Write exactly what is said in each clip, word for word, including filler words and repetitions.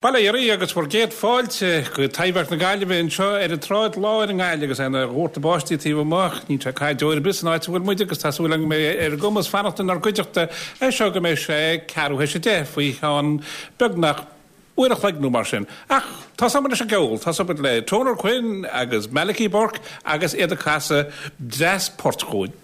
Bail ó Dhia oraibh agus bhur gcéad fáilte go Taibhdhearc na Gaillimhe anseo ar an tSráid Láir i nGaillimh agus é ina dhórtadh báistí taobh amuigh. Níl sé ag caitheamh deoir ar bith san áit a bhfuil muid agus tá súil agam go mbeidh ar a gcumas fanacht inár gcuideachta as seo go mbeidh sé ceathrú théis a deich faoi cheann beagnach uair a chloig nó mar sin. Ach tosóidh muid leis an gceol, tosóidh muid le Toner Quinn agus Malachy Burke agus iad ag casadh dreas poirt chugainn.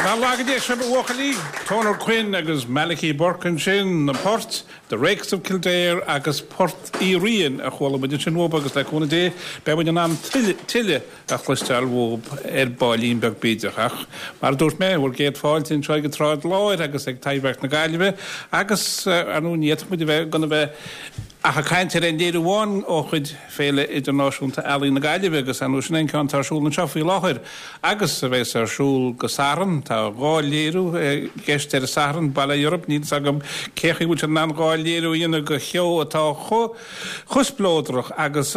Ná laga Dé sibh, a bhuachaillí! Toner Quinn agus Malachy Burke ansin, na poirt, The Rakes of Kildare agus Port Uí Riain a chuala muid ansin uathub agus le cúnamh Dé beidh muid in ann tuilleadh a chloisteáil uathub ar baillín beag bídeach. Ach mar a dúirt mé, bhur gcéad fáilte anseo ag an tSráid Láir agus ag Taibhdhearc na Gaillimhe agus ar ndóigh ní fhéadfadh muid a bheith gan a bheith ach ag caint ar aon léiriú amháin ó chuid Féile Idirnáisiúnta Ealaíon na Gaillimhe agus ar ndóigh sin é an ceann atá ar siúl anseo faoi láthair agus a bheas ar siúl go Satharn. Tá dhá léiriú i gceist ar an Satharn, bail ó Dhia oraibh, níl 'fhios agam cé chaoi a bhfuil siad in ann dhá léiriú a dhéanamh de sheó atá chomh chomh spleodrach agus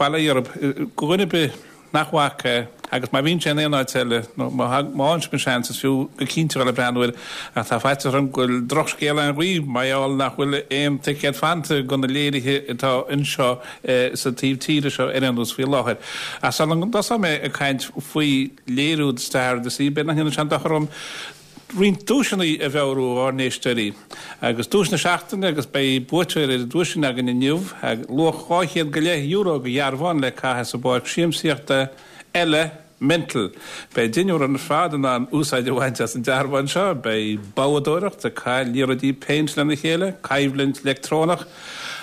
bail ó Dhia oraibh, do dhuine ar bith nach bhfaca é agus má bhíonn sé in aon áit eile nó má fhaigheann sibh an seans is fiú go cinnte dul ag breathnú air ach tá faitíos orm go bhfuil drochscéal ann dhaoibh mar gheall nach bhfuil aon ticéad fanta do na léirithe atá anseo sa taobh tíre seo ar aon nós faoi láthair. Ach sula dtosóidh mé ag caint faoi léiriú The Star of the Sea b'fhéidir nach ndéanfadh sé aon dochar dom roinnt duaiseanna a mheabhrú dhár n-éisteoirí. Agus duais na seachtaine, agus beidh buaiteoir ar an duais sin againn inniu, luach dhá chéad go leith euro do dhearbhán le caitheamh sa bpáirc siamsaíochta eile Mental. Beidh deichniúr ar fad in ann úsáid a bhaint as an dearbhán seo, beidh boghdóireacht, ag caitheamh liathróidí péint lena chéile, coimhlint leictreonach,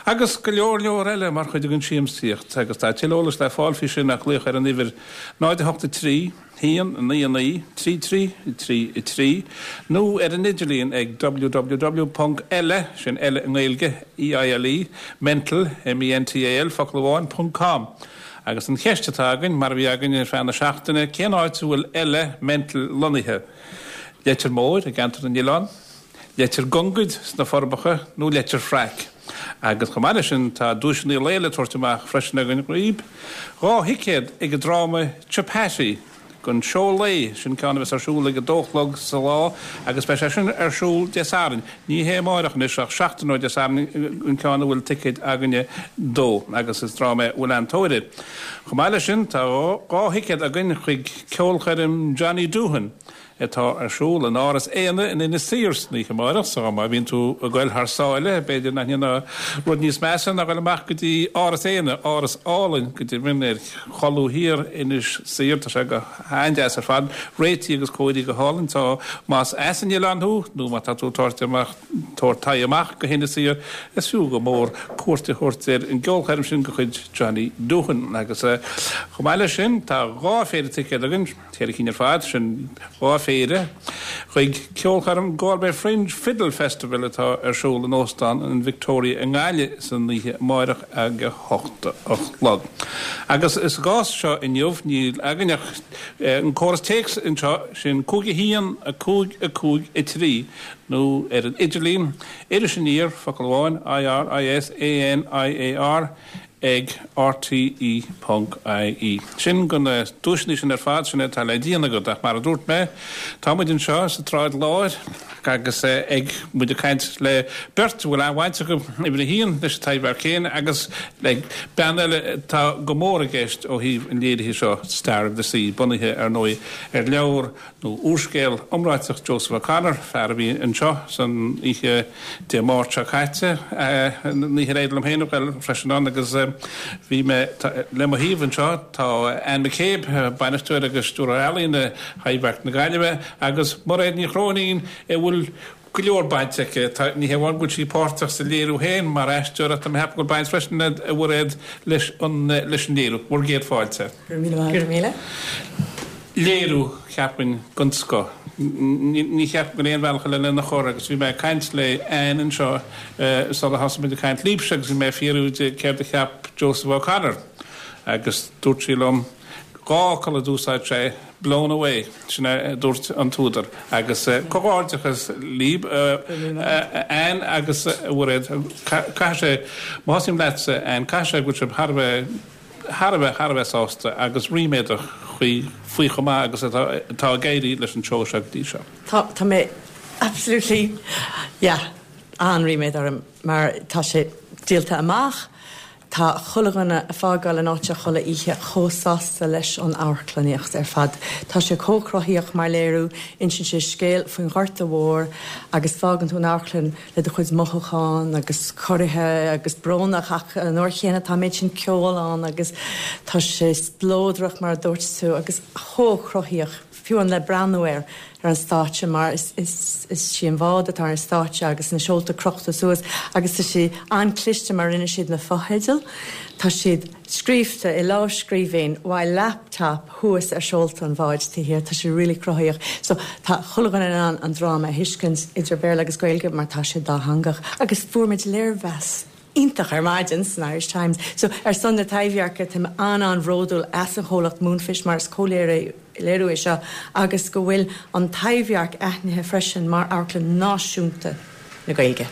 agus go leor leor eile mar chuid den siamsaíocht. Agus tá tuilleadh eolais le fáil faoi sin ach glaoch ar an uimhir náid a hocht a trí, haon, naoi naoi, trí trí, trí trí, nó ar an idirlíon ag www ponc eile, sin eile i nGaeilge, E I L E, mental, M E N T A L, focal amháin, ponc com. Agus an cheist atá againn, mar a bhí againn ar feadh na seachtaine, cén áit a bhfuil Eile Mental lonnaithe? Leitir Móir i gCeantar na nOileán, Leitir Gongaid sna Forbacha nó Leitir Fraic? Agus chomh maith leis sin tá duaiseanna lae le tabhairt amach freisin againn dhaoib, dhá thicéad ag an dráma Chapati don seó lae, sin ceann a bheas ar siúl ag a dó a chlog sa lá agus beidh sé sin ar siúl Dé Sathairn. Ní hé amárach anois ach seachtain ó Dé Sathairn an ceann a bhfuil ticéid againne dó agus is dráma é a bhfuil an-tóir air. Chomh maith leis sin tá dhá thicéad againn chuig ceolchoirm Johnny Doohan atá ar siúl in Áras Éanna in Inis Oírr san oíche amárach, so má bhíonn tú ag goil thar sáile, b'fhéidir nach ndéanfá rud níos measa ná goil amach go dtí Áras Éanna, áras álainn go deimhin ar cholbha thiar Inis Oírr, tá sé go han-deas ar fad, réitithe agus cóirithe go hálainn, so más as an oileán thú nó má tá tú ag tabhairt amach tabhairt aghaidh amach go hInis Oírr, is fiú go mór cuairt a thabhairt ar an gceolchoirm sin de chuid Johnny Doohan. Agus chomh maith leis sin tá dhá phéire ticéad againn, ceithre cinn ar fad, sin dhá phéire, chuig ceolchoirm Galway Fringe Fiddle Festival atá ar siúl in Óstán an Victoria i nGaillimh san oíche amárach ag a hocht a chlog. Agus sa gcás seo inniu níl againn ach an córas téacs anseo, sin cúig a haon a cúig a cúig a trí nó ar an idirlíon Iris Aniar, focal amháin, I R I S A N I A R ag R T E ponc I E. Sin do na duaiseanna sin ar fad, sin atá le déanamh agat, ach mar a dúirt mé, tá muid anseo sa tSráid Láir agus ag muid ag caint le beirt a bhfuil an-bhaint acu uimhir a haon leis an Taibhdhearc féin agus le bean eile atá go mór i gceist ó thaobh an léirithe seo Star of the Sea, bunaithe ar ndóigh ar leabhar nó úrscéal iomráiteach Joseph O'Connor, fear a bhí anseo san oíche Dé Máirt seo caite, an oíche ar éirigh liom féin a ghoil freisin ann agus bhí mé le mo thaobh anseo tá Anne McCabe, bainisteoir agus stiúrthóir ealaíne Thaibhdhearc na Gaillimhe agus Mairéad Ní Chróinín a bhfuil go leor baint aici. Ní hamháin go bhfuil sí páirteach sa léiriú féin mar aisteoir ach tá mé ag ceapadh go bhfuil baint freisin a Mhairéad leis an leis an léiriú. Bhur gcéad fáilte. Go raibh míle. Léiriú cheapfainn den scoth. Ní cheapaim go aon bhealach eile lena chur agus bhí mé ag caint le Anne anseo sula thosaigh muid ag caint libhse agus bhí mé ag fiafraí di céard a cheap Joseph O'Connor agus dúirt sí liom dhá fhocal a d'úsáid sé blown away sin a dúirt an t-údar agus comhghairdeachas libh Anne agus Mhairéad caithfidh sé má thosaím leatsa Anne caithfidh sé go bhfuil sibh thar a bheith thar a bheith thar a bheith sásta agus ríméadach faoi faoi chomh maith agus atá atá ag éirí leis an seó seo go dtí seo. Tá tá mé absolutely yeah an-ríméad orm mar tá sé díolta amach, tá chuile dhuine ag fágáil an áit chuile oíche chomh sásta leis an amharclannaíocht ar fad. Tá sé chomh cruthaíoch mar léiriú, insíonn sé scéal faoin Ghorta Mhór agus fágann tú an amharclann le do chuid mothúchán agus corraithe agus brónach ach an uair chéanna tá méid sin ceol ann agus tá sé spleodrach mar a dúirt tú agus chomh cruthaíoch fiú an le breathnú air ar an stáitse mar is, is, is sí an bád atá ar an stáitse agus na seolta crochta suas agus tá sé an-chliste mar rinne siad na fotheidil. Tá siad scríofa i lámhscríbhinn while laptop thuas ar seolta an bháid taobh thiar, tá sé really cruthaíoch. So tá chuile dhuine in ann an dráma a thuiscint idir Béarla agus Gaeilge mar tá sé dátheangach agus fuair muid léirmheas iontach ar maidin san Irish Times. So ar son na Taibhdheirce tá an an-bhródúil as an chomhlacht Moonfish mar is comhléiriú léiriú é seo agus go bhfuil an Taibhdhearc aithnithe freisin mar amharclann náisiúnta na Gaeilge.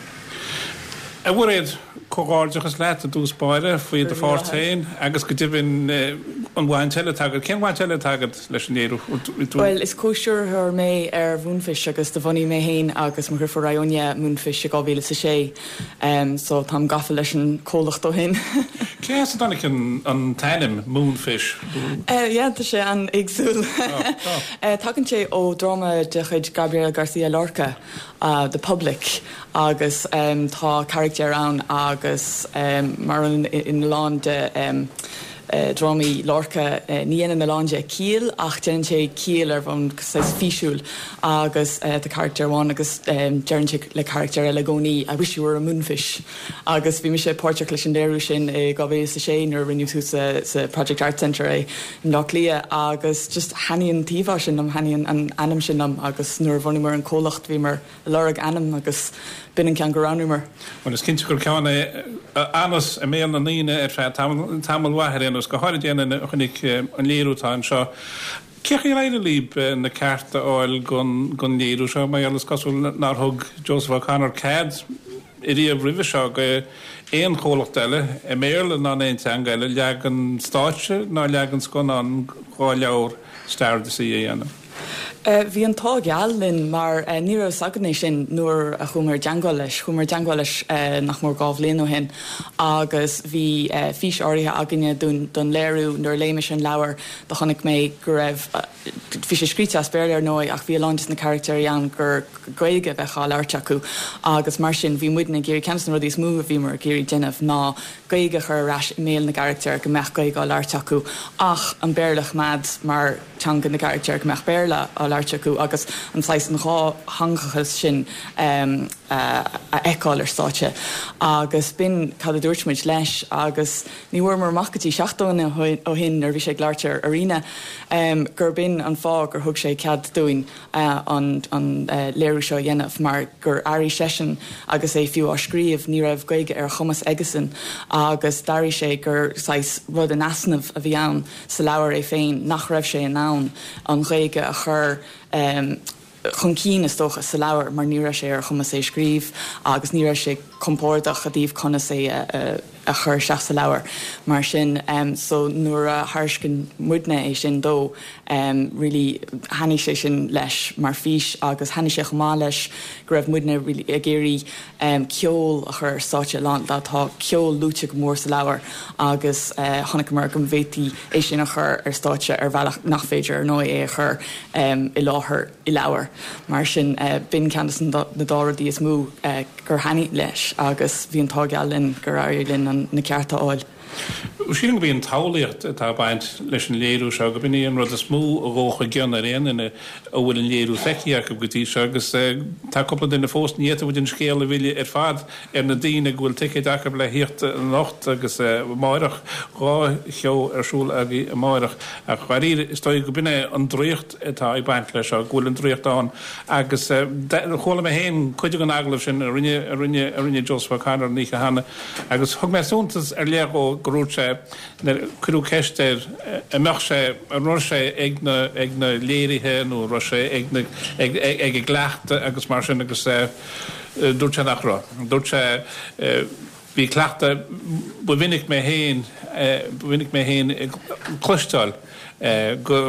A Mhairéad, comhghairdeachas leat i dtús báire faoi do pháirt féin agus go deimhin an bhaint eile atá agat. Cén bhaint eile atá agat leis an léiriú? Well, is comhstiúrthóir mé ar Mhoonfish agus do bhunaigh mé féin agus mo dheirfiúr Ionia Moonfish i dhá mhíle is a sé, um, so táim gafa leis an comhlacht ó shin. Cé as a dtáinig an, an t-ainm Moonfish? Uh, yeah, tá sé an-éagsúil. uh, Tagann sé ó dráma de chuid Gabriel Garcia Lorca, uh, The Public, agus um, tá carachtar ann agus um, mar in, in lán de um, drámaí Lorca, ní dhéanann a lán de ciall ach déanann sé ciall ar bhonn saghas físiúil agus tá carachtar amháin agus deireann sé le carachtar eile i gcónaí 'I wish you were a moonfish' agus bhí mise páirteach leis an léiriú sin i dhá mhíle is a sé nuair a rinneadh thuas sa Project Arts Centre é i mBleá Cliath agus just thaitnigh an t-íomhá sin liom, thaitnigh an ainm sin liom agus nuair a bhunaíomar an comhlacht bhíomar ag lorg ainm agus b'in an ceann gur roghnaíomar. Bhuel is cinnte gur ceann é a fhanas i mbéal na ndaoine ar feadh tamall mhaith ar aon nós, go háirid aon duine a chonaic an léiriú atá anseo. Cé chaoi ar éirigh libh na cearta a fháil don léiriú seo? Mar gheall is cosúil nár thug Joseph O'Connor cead riamh roimhe seo go aon chomhlacht eile, i mBéarla ná in aon teanga eile, leagan stáitse ná leagan scannán dhá leabhar Star of the Sea a dhéanamh. Bhí an t-ádh geal linn mar ní raibh fhios againn é sin nuair a chuamar i dteangmháil leis. Chuamar i dteangmháil leis nach mór dhá bhliain ó shin agus bhí fís áirithe againne don léiriú. Nuair a léigh mise an leabhar do chonaic mé go raibh, bhí sé scríte as Béarla ar ndóigh ach bhí a lán de na carachtéirí ann gur Gaeilge a bheadh á labhairt acu agus mar sin bhí muidne ag iarraidh, ceann de na rudaí is mó a bhíomar ag iarraidh déanamh ná Gaeilge a chur ar ais i mbéal na gcarachtéir, go mbeadh Gaeilge á labhairt acu ach an Béarla a choimeád mar teanga na gcarachtéir, go mbeadh Béarla á labhairt acu agus an saghas an dhátheangachas sin a fheiceáil ar stáitse. Agus b'in cad a dúirt muid leis agus ní bhfuaireamar amach go dtí seachtain ó shin nuair a bhí sé ag labhairt ar Arena gur b'in an fáth gur thug sé cead dúinn an léiriú seo a dhéanamh mar gur airigh seisean agus é fiú á scríobh, ní raibh Gaeilge ar a chumas aigesean agus d'airigh sé gur saghas rud in easnamh a bhí ann sa leabhar é féin, nach raibh sé in ann an Ghaeilge a chur chun cinn, is dócha, sa leabhar mar ní raibh sé ar a chumas é a scríobh agus ní raibh sé compordach i dtaobh conas é a a chur isteach sa leabhar. Mar sin, so nuair a thairiscin muidne é sin dó, really thaitnigh sé sin leis mar fhís agus thaitnigh sé chomh maith leis go raibh muidne really ag iarraidh ceol a chur ar stáitse. Tá ceol luaite go mór sa leabhar agus chonaiceamar go bhféadfaí é sin a chur ar stáitse ar bhealach nach féidir ar ndóigh é a chur i láthair i leabhar. Mar sin, b'in ceann de na dá rudaí is mó gur thaitnigh leis agus bhí an t-ádh geal linn gur éirigh linn na cearta a fháil. Sílim gurb í an tsamhlaíocht atá ag baint leis an léiriú seo, gurb in í an rud is mó a ghabhfadh i gcion ar aon duine a bhfuil an léiriú feicthe acu go dtí seo agus tá cúpla duine fós, ní fhéadfadh muid an scéal a mhilleadh ar fad ar na daoine go bhfuil ticéid acu le thíocht anocht agus amáireach, dhá sheó ar siúl agaibh amáireach ach dháiríre is dóigh gurb in é an draíocht atá ag baint leis seo, go bhfuil an draíocht ann agus chuala mé féin cuid den agallamh sin a rinne a rinne a rinne Joseph O'Connor an oíche cheana agus thug mé suntas ar leith dhó gur dhúirt sé nuair a cuireadh ceist air an mbeadh sé, an raibh sé ag na ag na léirithe nó an raibh sé ag na ag ag an gcleachtadh agus mar sin agus dúirt sé nach raibh. Dúirt sé bhí cleachtadh, ba mhinic mé féin, ba mhinic mé féin ag cloisteáil go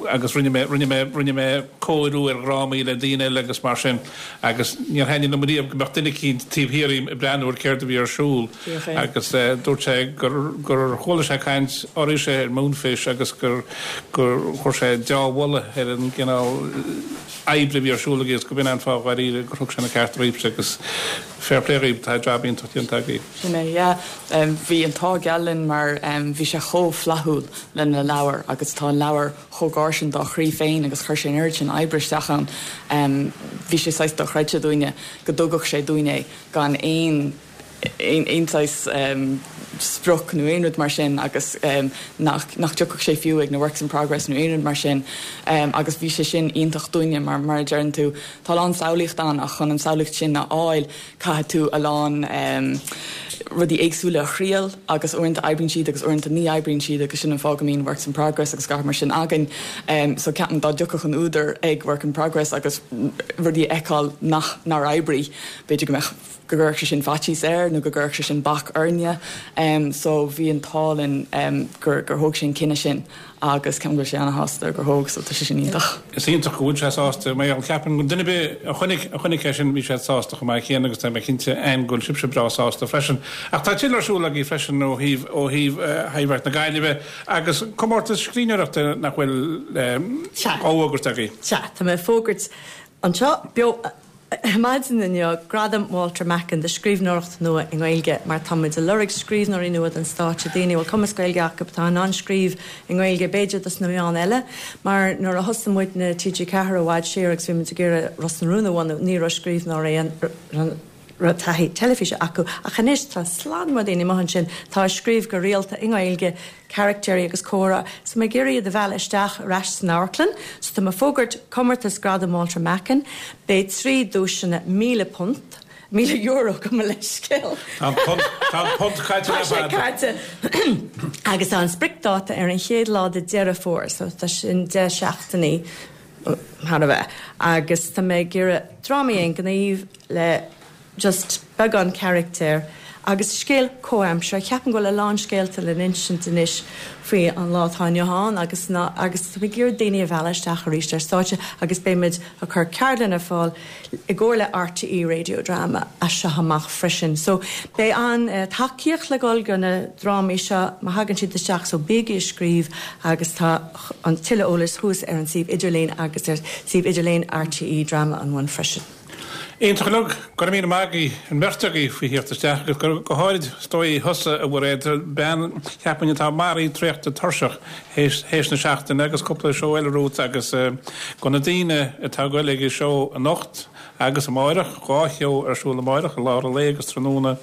agus rinne mé, rinne mé, rinne mé cóiriú ar dhrámaí le daoine eile agus mar sin agus níor thaitnigh liom riamh go mbeadh duine eicínt taobh thiar díom ag breathnú ar céard a bhí ar siúl agus dúirt sé gur, gur chuala sé caint oraibhse ar Moonfish agus gur, gur chuir sé deá-mholadh ar an gcineál oibre a bhí ar siúl agaibh agus go b'in an fáth dháiríre gur thug sé na cearta dhaoibhse agus fair play dhaoibh, tá jab iontach déanta agaibh. Sin é, yeah. Bhí an t-ádh geal linn mar bhí sé chomh flaithiúil lena leabhar agus tá an leabhar chomh gar sin dá chroí féin agus chuir sé an oiread sin oibre isteach ann. Bhí sé saghas dochreidte dúinne go dtugadh sé dúinn é gan aon aon saghas sprioc nó aon rud mar sin agus nach nach dtiocfadh sé fiú ag na works in progress nó aon rud mar sin agus bhí sé sin iontach dúinne mar mar a deireann tú tá a lán samhlaíocht ann ach chun an samhlaíocht sin a fháil caithfidh tú a lán rudaí éagsúla a thriail agus uaireanta oibríonn siad agus uaireanta ní oibríonn siad agus sin an fáth go mbíonn works in progress agus gach mar sin againn. So ceapaim dá dtiocfadh an údar ag work in progress agus rudaí a fheiceáil nach nár oibrigh b'fhéidir go mbeadh go gcuirfeadh sé sin faitíos air nó go gcuirfeadh sé sin bac orainne. So bhí an t-ádh linn gur gur thóg sé an cinneadh sin agus ceapaim go bhfuil sé ana-shásta gur thóg so tá sé sin iontach. Is iontach go bhfuil sé sásta mar gheall ceapaim go duine ar bith a chonaic a chonaic é sin bhí siad sásta chomh maith céanna agus tá mé cinnte Anne go bhfuil sibhse breá sásta freisin. Ach tá tuilleadh ar siúl agaibh freisin ó thaobh ó thaobh Thaibhdhearc na Gaillimhe agus comórtas scríbhneoireachta nach bhfuil á fhógairt agaibh. Sea, tá mé ag fógairt anseo beo Maidin inniu Gradam Walter Macken do scríbhneoireacht nua i nGaeilge mar táimid ag lorg scríbhneoirí nua don stáitse daoine bhfuil cumas Gaeilge acu atá in ann scríobh i nGaeilge b'fhéidir dos na meáin eile mar nuair a thosaigh muid na TG Ceathair i bhfad siar agus bhí muid ag iarraidh Ros na Rún a bhunú ní raibh scríbhneoirí an raibh taithí teilifíse acu ach anois tá slad mór daoine amuigh ansin tá ag scríobh go rialta i nGaeilge caractéirí agus comhrá so mé ag iarraidh iad a mhealladh isteach ar ais san amharclann so tá mé ag fógairt comórtas Gradam Walter Macken beidh trí duaiseanna míle punt míle euro gabh mo leithscéal. Tá an punt caite Tá sé caite agus tá an spriocdháta ar an chéad lá de Deireadh Fómhair so tá sin deich seachtainí thar a bheith agus tá mé ag iarraidh drámaí aongnímh le just beagán carachtar agus scéal comhaimseartha. Ceapaim go bhfuil a lán scéalta le n-insint anois faoi an lá atá inniu ann agus ná agus tá mé ag iarraidh daoine a mhealladh isteach arís ar stáitse agus beimid ag cur ceardlann ar fáil i gcomhar le RTÉ Radio Drama as seo amach freisin. So beidh an uh, tacaíocht le dul go na drámaí seo má thagann siad isteach so bígí ag scríobh agus tá an tuilleadh eolais thuas ar an suíomh idirlín agus ar suíomh idirlín RTÉ Drama an One freisin. Iontach uilig, go raibh míle maith agaibh an bheirt agaibh faoi theacht isteach agus go háirid is dóigh thusa a Mhairéad bean cheapfainn atá maraithe traochta tuirseach théis na seachtaine agus cúpla seó eile romhat agus go na daoine atá ag goil ag an seó anocht agus amáireach dhá sheó ar siúl amáireach i lár an lae agus tráthnóna.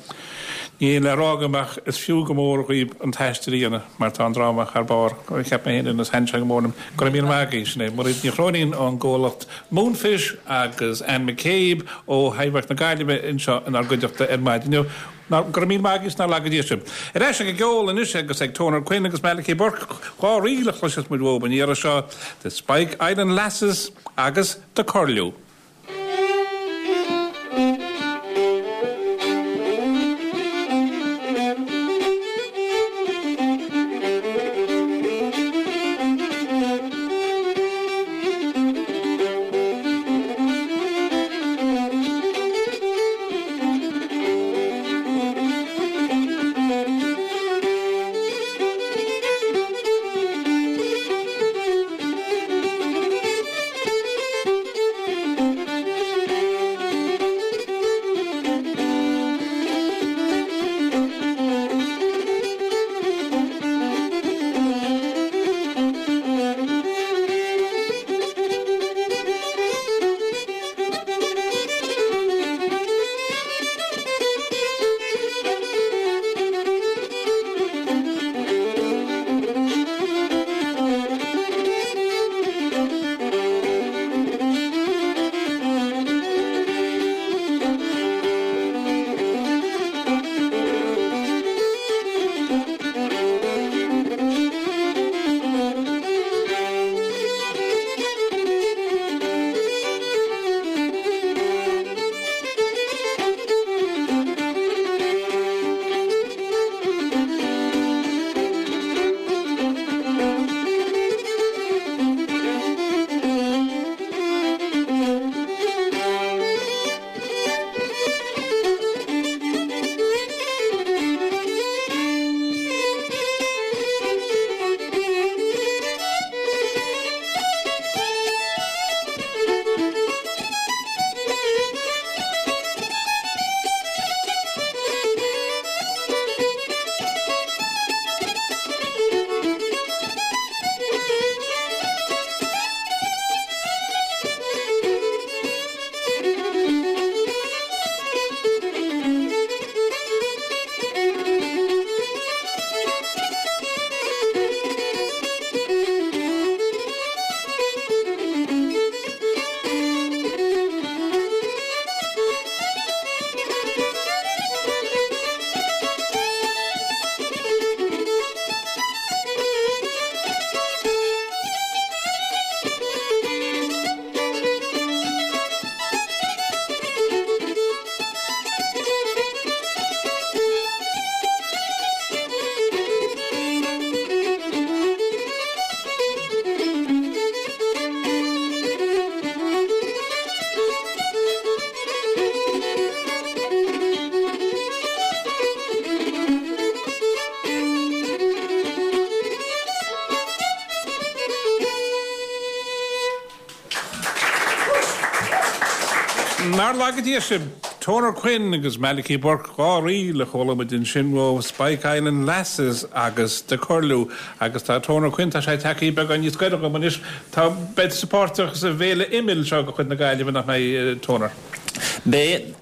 Níl le rá agam ach is fiú go mór dhaoibh an t-aistear a dhéanamh mar tá an dráma thar barr cheap mé féin agus thaitin sé go mór liom. Go raibh míle maith agaibh sin é Mairéad Ní Chróinín ón gcomhlacht Moonfish agus Anne McCabe ó Thaibhdhearc na Gaillimhe anseo inár gcuideachta ar maidin inniu. Go raibh míle maith agaibh is nár laga Dia sibh. Ar ais ag an gceol anois agus ag Toner Quinn agus Malachy Burke dhá ríl a chloisfeas muid uathu an iarraidh seo The Spike Island Lasses agus The Curlew. Nár laga Dia sibh, Toner Quinn agus Malachy Burke dhá ríl a chuala muid ansin ó Spike Island Lasses agus The Curlew agus tá Toner Quinn tá sé tagtha beagán níos gaire dom anois tá beidh tú páirteach sa bhféile Imill seo de chuid na Gaillimhe nach mbeidh Toner. Beidh,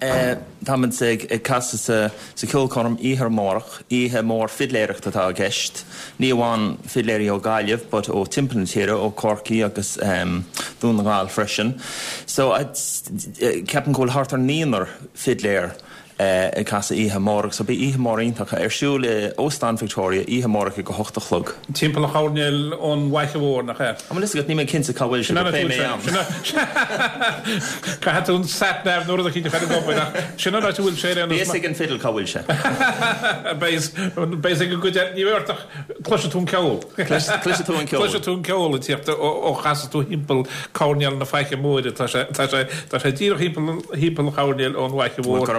táimid ag casadh sa sa cheolchoirm oíche amárach, oíche mór fidléireachta atá i gceist. Ní amháin fidléirí ó Gaillimh but ó timpeall na tíre, ó Corcaigh agus Dún na nGall freisin. So ceapaim go bhfuil thart ar naonúr fidléir ag casadh oíche amárach. So beidh oíche mór iontach ar siúl i Óstán Victoria oíche amárach ag a hocht a chlog. Timpeall an choirnéil ón bhFaiche Mhór, nach ea? An bhfuil fhios agat, níl mé cinnte cá bhfuil sé, but beidh mé ann. Caithfidh tú an sat nav nó rud eicínt a chur ag obair ach sin an áit a bhfuil sé ar aon nós. Beidh fhios ag an fidil cá bhfuil sé. Beidh fhios ag an gcuid eile, ní bheidh ort ach cloisfidh tú an ceol. Cloisfidh tú an ceol. Cloisfidh tú an ceol ag tíocht ó chasfaidh tú thimpeall coirnéal na Faiche Móire. Tá sé tá sé tá sé díreach thimpeall thimpeall an choirnéil ón bhFaiche Mhór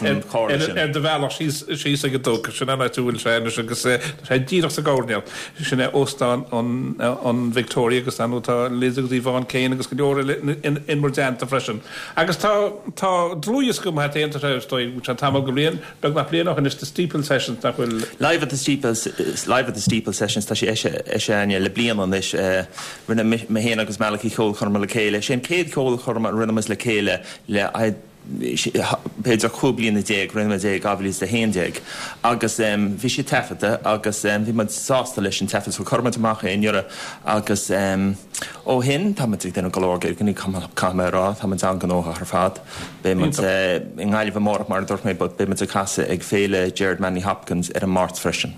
ar do bhealach síos síos ag an Dumhcha. Sin an áit a bhfuil sé anois agus tá sé díreach sa gcoirnéal. Sin é Óstán an an Victoria agus ar ndóigh tá Liz agus Yvonne Kane agus go leor eile in in bhur dteannta freisin. Agus tá tá dlúthdhiosca amuigh agat féin, tá sé is dóigh sé tamall go bliain beagnach bliain ó shin anois The Steeple Sessions nach bhfuil. Live at the Steeple Live at the Steeple Sessions tá sé eisithe againne le bliain anois. Rinne mé féin agus Malachy ceolchoirm le chéile. Sé an chéad cheolchoirm a rinne muid le chéile le b'fhéidir cúig bliana déag, rinne muid é i dhá mhíle is a haon déag agus bhí sé taifeadta agus bhí muid sásta leis an taifead so chuir muid amach é anuraidh agus ó shin tá muid ag déanamh go leor gigeanna, caithfidh mé a rá, tá muid an-ghnóthach ar fad. Beidh muid i nGaillimh amárach mar a dúirt mé but beidh muid ag casadh ag Féile Gerard Manley Hopkins ar an Máirt freisin.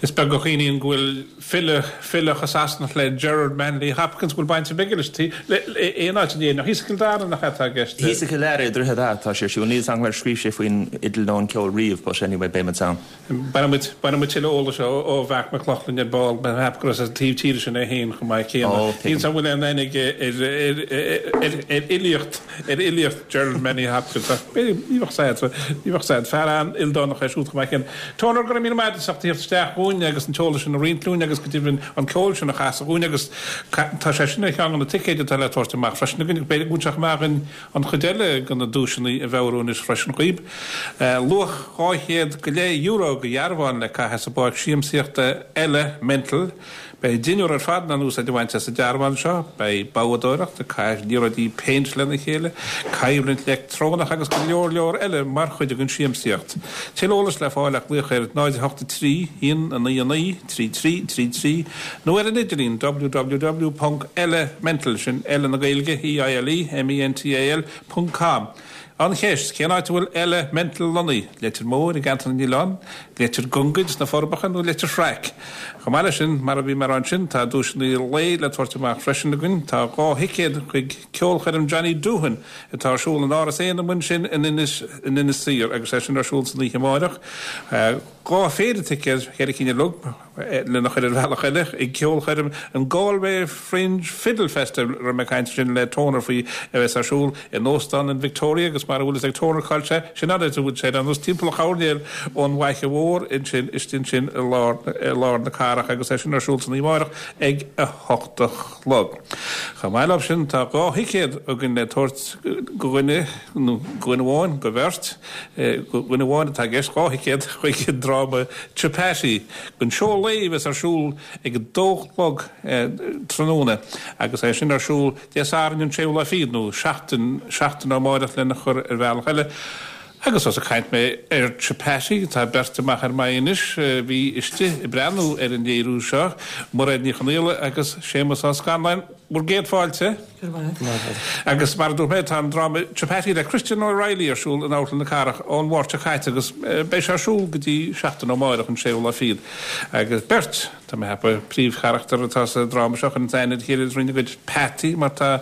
Is beag a chuimhníonn go bhfuil file, file chomh Sasanach le Gerard Manley Hopkins, go bhfuil baint ar bith aige leis le aon áit in Éirinn. Ach thíos i gCill Dara nach ea atá i gceist? Thíos i gCill Dara, i Droichead Átha atá sé ar siúl. Níl 'fhios agam ar scríobh sé faoin fhidil nó an ceol riamh but anyway beidh muid ann. Bainfidh muid, bainfidh muid tuilleadh eolais ó, ó Mharc Mac Lochlainn ar ball, mé ag ceapadh gur as an taobh tíre sin é féin chomh maith céanna. Ó, Níl tuigim. 'fhios agam an bhfuil aon aithne aige ar, ar, ar, ar fhilíocht, ar fhilíocht Gerard Manley Hopkins ach b'fhéidir, ní bheadh 'fhios a'd, ní bheadh 'fhios a'd. Fear an-ildánach é siúd chomh maith céanna. Toner, go raibh míle maith agat as ucht a thíocht isteach chugainn agus an t-eolas sin a roinnt linn agus go deimhin an ceol sin a chasadh dhúinn agus tá sé sin ar cheann de na ticéid atá le tabhairt amach freisin againn. B'fhéidir go bhfuil sé chomh maith againn an chuid eile de na duaiseanna a mheabhrú anois freisin dhaoib. Luach dhá chéad go leith euro de dhearbháin le caitheamh sa bpáirc siamsaíochta Eile Mental. Beidh deichniúr ar fad in ann úsáid a bhaint as an dearbhán seo. Beidh boghdóireacht, ag caitheamh liathróidí péint lena chéile, coimhlint leictreonach agus go leor leor eile mar chuid den siamsaíocht. Tuilleadh eolais le fáil ach glaoch ar náid a hocht a trí, aon a naoi a naoi, trí trí trí trí nó ar an idirlíon www ponc eilemental, sin eile na Gaeilge, E I L E M E N T A L, ponc com. An cheist, cén áit a bhfuil Eile Mental lonnaithe? Leitir Móir i gCeantar na nOileán, Leitir Gungaid sna Forbacha nó Leitir Fraic? Chomh maith leis sin, mar a bhí mé a rá ansin, tá duaiseanna lae le tabhairt amach freisin againn. Tá dhá thicéad chuig ceolchoirm Johnny Doohan atá ar siúl in Áras Éanna amuigh ansin in Inis in Inis Oírr agus é sin ar siúl san oíche amáireach. Dhá phéire ticéad, ceithre cinn uilig, lena chur ar bhealach eile, ag ceolchoirm an Galway Fringe Fiddle Festival, a raibh mé ag caint ansin le Toner faoi, a bheas ar siúl in Óstán an Victoria agus mar a bhfuil fhios ag Toner cá bhfuil sé, sin an áit a bhfuil sé, ar nós timpeall an choirnéil ón bhFaiche Mhór ansin, istigh ansin i lár, i lár na cathrach agus é sin ar siúl san oíche amárach ag a hocht a chlog. Chomh maith leo sin, tá dhá thicéad againn le tabhairt go dhuine, nó go dhuine amháin, go bheirt, go dhuine amháin atá i gceist, dhá thicéad chuig an dráma Chapati, don seó lae a bheas ar siúl ag a dó a chlog tráthnóna agus é sin ar siúl Dé Sathairn an séú lá fichead, nó seachtain, seachtain ó amárach lena chur ar bhealach eile. Agus ós ag caint mé ar Chapati, tá beirt amach ar m'aghaidh anois a bhí istigh ag breathnú ar an léiriú seo, Mairéad Ní Chonaola agus Séamus Ó Scanláin. Bhur gcéad fáilte. Go raibh maith agat. Agus mar a dúirt mé, tá an dráma Chapati le Christian O'Reilly ar siúl in Amharclann na Cathrach ón Mháirt seo caite agus beidh sé ar siúl go dtí seachtain ó amárach, an séú lá fichead. Agus beirt, tá mé ag ceapadh, príomhcharachtar atá sa dráma seo, chuireann aithne ar a chéile trína gcuid peataí mar tá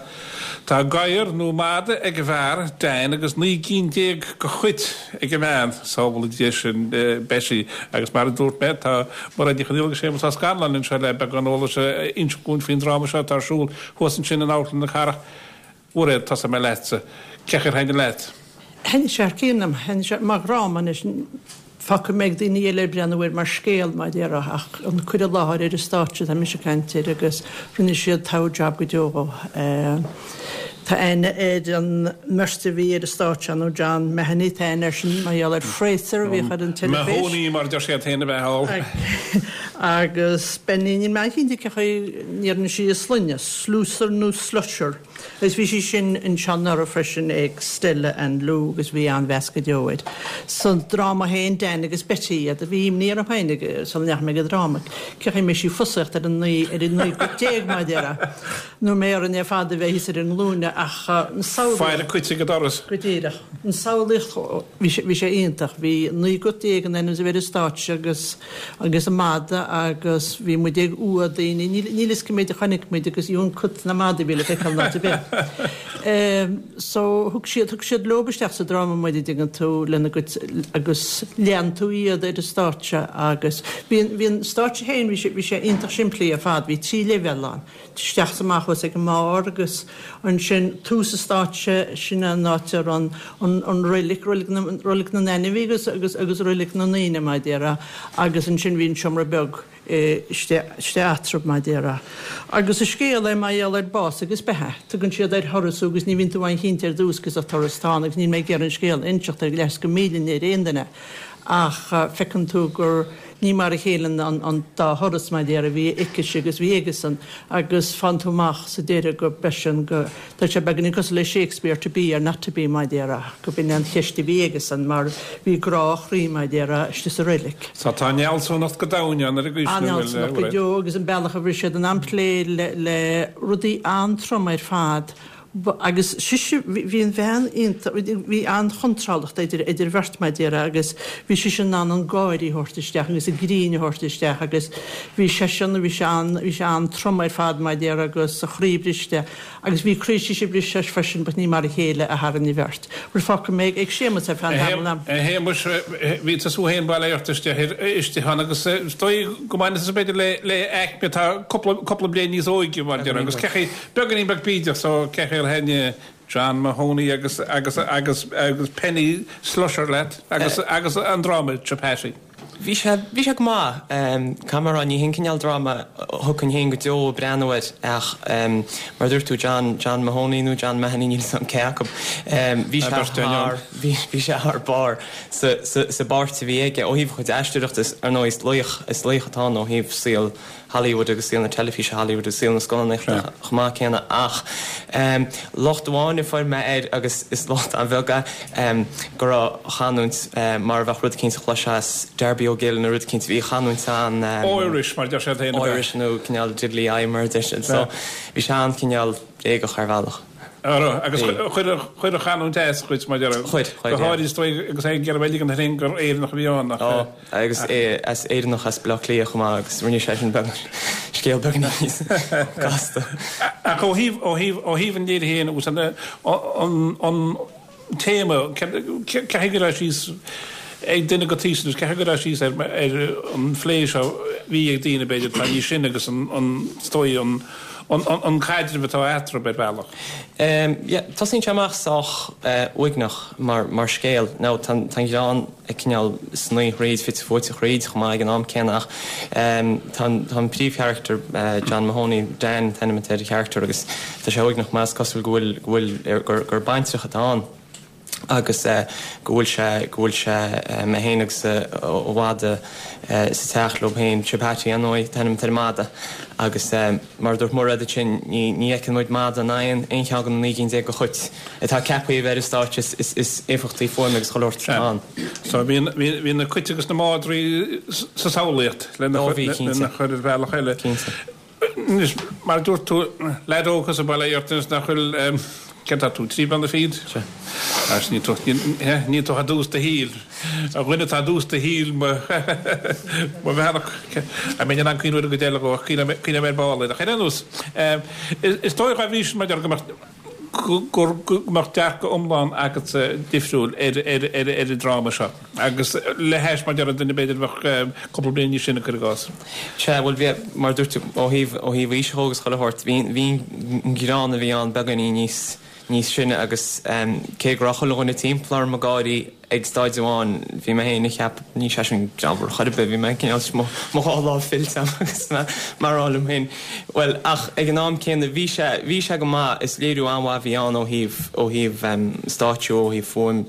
Tá gadhar nó mada ag an bhfear, Dan, agus naoi gcinn déag de chait ag an mbean, sábhála Dia sinn, Betty. Agus mar a dúirt mé, tá Mairéad Ní Chonaola agus Séamus Ó Scanláin anseo le beagán eolais a insint dhúinn faoin dráma seo atá ar siúl thuas ansin in Amharclann na Cathrach. A Mhairéad, tosóidh mé leatsa. Cén chaoi ar thaitnigh leat? Thaitnigh sé thar cionn liom. Thaitnigh sé mar dhráma anois. Fágfaidh mé ag daoine eile breathnú air mar scéal, mar a déarfá, ach an cur i láthair ar an stáitse atá mise ag caint air agus rinne siad togha job go deo dhó. Tá Tá aithne ar an mbeirt a bhí ar an stáitse nó John Mahony, tá aithne air sin mar gheall ar Frasier a bhíodh ar an teilifís. Mahoney mar a deir siad féin a bheith thall. Agus Penny, níl mé cinnte cén chaoi a ndeireann sí a sloinne, Slusser nó Slusher. Agus bhí sí sin anseo anuraidh freisin ag Stella and Lou agus bhí an-mheas go deo air. Sa dráma féin Dan agus Betty iad a bhí imní orm féin sula ndeachaigh mé ag an dráma. Cén chaoi a mbeidh sí ag fusaíocht ar an naoi ar an naoi gcuid déag mar a déarfá. Nó mbeidh orainn ar fad a bheith thíos ar an nglúine ach an samhlaíocht. Faire cuid ag an doras. Go díreach. An samhlaíocht, bhí sé bhí sé iontach. Bhí naoi gcuid déag in ainm is a bheith ar an stáitse agus agus an madadh agus bhí muid ag fhuath daoine. Níl níl fhios cé méid a chonaic muid agus fiú an cut na madaí a bhí le feiceáil in áit ar bith. So thug siad thug siad leo isteach sa dráma muid a dtuigeann tú lena gcuid agus lean tú iad ar an stáitse agus bhí an bhí an stáitse féin bhí sé bhí sé iontach simplí ar fad, bhí trí leibhéal ann, isteach is amach thuas ag an mbarr agus ansin tús an stáitse sin an áit a raibh an an an roilig, roilig na roilig na n-ainmhí agus agus agus roilig na ndaoine mar a déarfá agus ansin bhí an seomra beag istigh eatarthu, mar a déarfá. Agus is scéal é mar gheall ar bás agus beatha. Tugann siad ar thuras thú agus ní bhíonn tú an-chinnte ar dtús cad é turas atá ann agus níl mé ag iarraidh an scéal a inseacht ar leigheas go míle ar aon duine ach feiceann tú gur ní mar a chéile an dá thuras, mar a déarfá, a bhí aicise agus bhí aigesan agus faigheann tú amach sa deireadh go b'eisean go, tá sé beagáinín cosúil le Shakespeare to be or not to be, mar a déarfá, go b'in é an cheist a bhí aigesan mar bhí grá a chroí, mar a déarfá, istigh sa reilig. So tá an fhealsúnacht go domhain ann ar an gcaoi sin, An fhealsúnacht go deo agus an bealach a bhris siad an aimhplé le le rudaí an-trom ar fad. Agus sise, bhí an bhean iontach, bhí an-chontrálacht idir idir bheirt mar a déarfá agus bhí sise in ann an gáire a thabhairt isteach agus an grinn a thabhairt isteach agus bhí seisean, bhí sé an, bhí sé an-trom ar fad mar a déarfá agus a chroí briste agus bhí croí sise briste freisin but ní mar a chéile a tharraing an bheirt. Bhuel fágfaidh mé ag Séamus ar feadh an tamaill. A Shéamuis, bhí tusa féin bail ort istigh istigh ann agus is dóigh go mbaineann tusa b'fhéidir le le aicme atá cúpla cúpla bliain níos óige mar a déarfá agus cé Beagáinín beag bídeach so cén chaoi ar thaitin John Mahoney agus agus agus agus Penny Slusher leat agus agus an dráma Chapati? Bhí sé bhí sé go maith. Caithfidh mé a rá ní hin cineál dráma a thiocfainn féin go deo ag breathnú air ach mar a dúirt tú John John Mahoney nó John Mahoney níl 'fhios a'm cé acu. Bhí sé thar bhí bhí sé thar barr sa sa sa bpáirt a bhí aige ó thaobh a chuid aisteoireachta is ar ndóigh is laoch is laoch atá ann ó thaobh saol Hollywood agus saol na teilifíse Hollywood agus saol na scannánaíochta chomh maith céanna ach locht amháin a fuair mé air agus is locht an-bheag é go raibh a chanúint mar a bheadh rud eicínt a chloisfeá as Darby O'Gill nó rud eicínt bhí a chanúint an Irish mar a deir siad féin ab ea? Irish nó cineál diddly eye mar a deir siad so bhí sé an-chineál bréagach ar bhealach. Ara, agus chuir chuir a chanúint as dhuit, mar a déarfá. Chuir, chuir, Go háirid is dóigh agus é ag iarraidh a ligean air féin gur Éireannach a bhí ann, ach. Ó, agus é as Éireannach as Baile Átha Cliath chomh maith agus rinne sé sin beag, scéal beag níos gasta. Ach ó thaobh, ó thaobh, ó thaobh an léirithe féin agus an, an, an téama, caithfidh go raibh síos ag duine go taois anois, caithfidh go raibh síos ar, ar an phlé seo a bhí ag daoine b'fhéidir atá níos sine agus an, an, is dóigh an, an caidreamh atá eatarthu ar bhealach. Yeah, tosaíonn sé amach sách uaigneach mar mar scéal. Now tá an greann ag cineál snoí thríd, fite fuaite thríd chomh maith ag an am céanna ach tá an tá an príomhcharachtar John Mahoney, Dan an t-ainm atá ar an charachtar agus tá sé uaigneach mar is cosúil go bhfuil go bhfuil gur gur baintreach atá ann. agus go bhfuil sé, go bhfuil sé, é féin agus a mhada sa teach leo féin, Chapati ar ndóigh, an t-ainm atá ar an mada, agus mar a dúirt Mairéad ansin, ní, ní fheiceann muid mada in aon, aon cheann de na naoi gcinn déag de chait atá ceaptha a bheith ar an stáitse, is, is, is éifeachtaí fuaime agus chuile shórt atá ann. So bhí, bhí, bhí na cait agus na madraí sa samhlaíocht lena, Ó bhí, cinnte. lena chur ar bhealach eile. Cinnte. Anois, mar a dúirt tú, leaid óg thusa bail ort anois nach bhfuil, céard atá tú, trí bliana fichead? Sea. Agus níl tú, níl tú i dtús do shaoil. A dhuine atá i dtús do shaoil, mo, mo bheannacht, a mbeinn in ann cuimhniú ar an gcuid eile dhó, ach cuimhneoidh mé ar ball air. Ach ar aon nós, is dóigh dá bhrí sin, mar a déarfá, go mbeadh, go mbeadh dearcadh iomlán agatsa difriúil ar an dráma seo agus le hais mar a déarfá duine b'fhéidir a bheadh cúpla bliain níos sine, cuir i gcás. Sea, bhuel bhí, mar a dúirt tú, ó thaobh, ó thaobh aoise dhó agus chuile shórt, bhí, bhí an greann a bhí ann beagáinín níos, níos sine agus cé go raibh chuile dhuine timpeall orm ag gáirí ag staid amháin bhí mé féin ag ceapadh níl sé sin greannmhar chor ar bith bhí mé cineál mo dhá lámh fillte agus mé ag rá liom féin bhuel ach ag an am céanna bhí sé bhí sé go maith is léiriú an-mhaith a bhí ann ó thaobh ó thaobh stáitsiú ó thaobh fuaim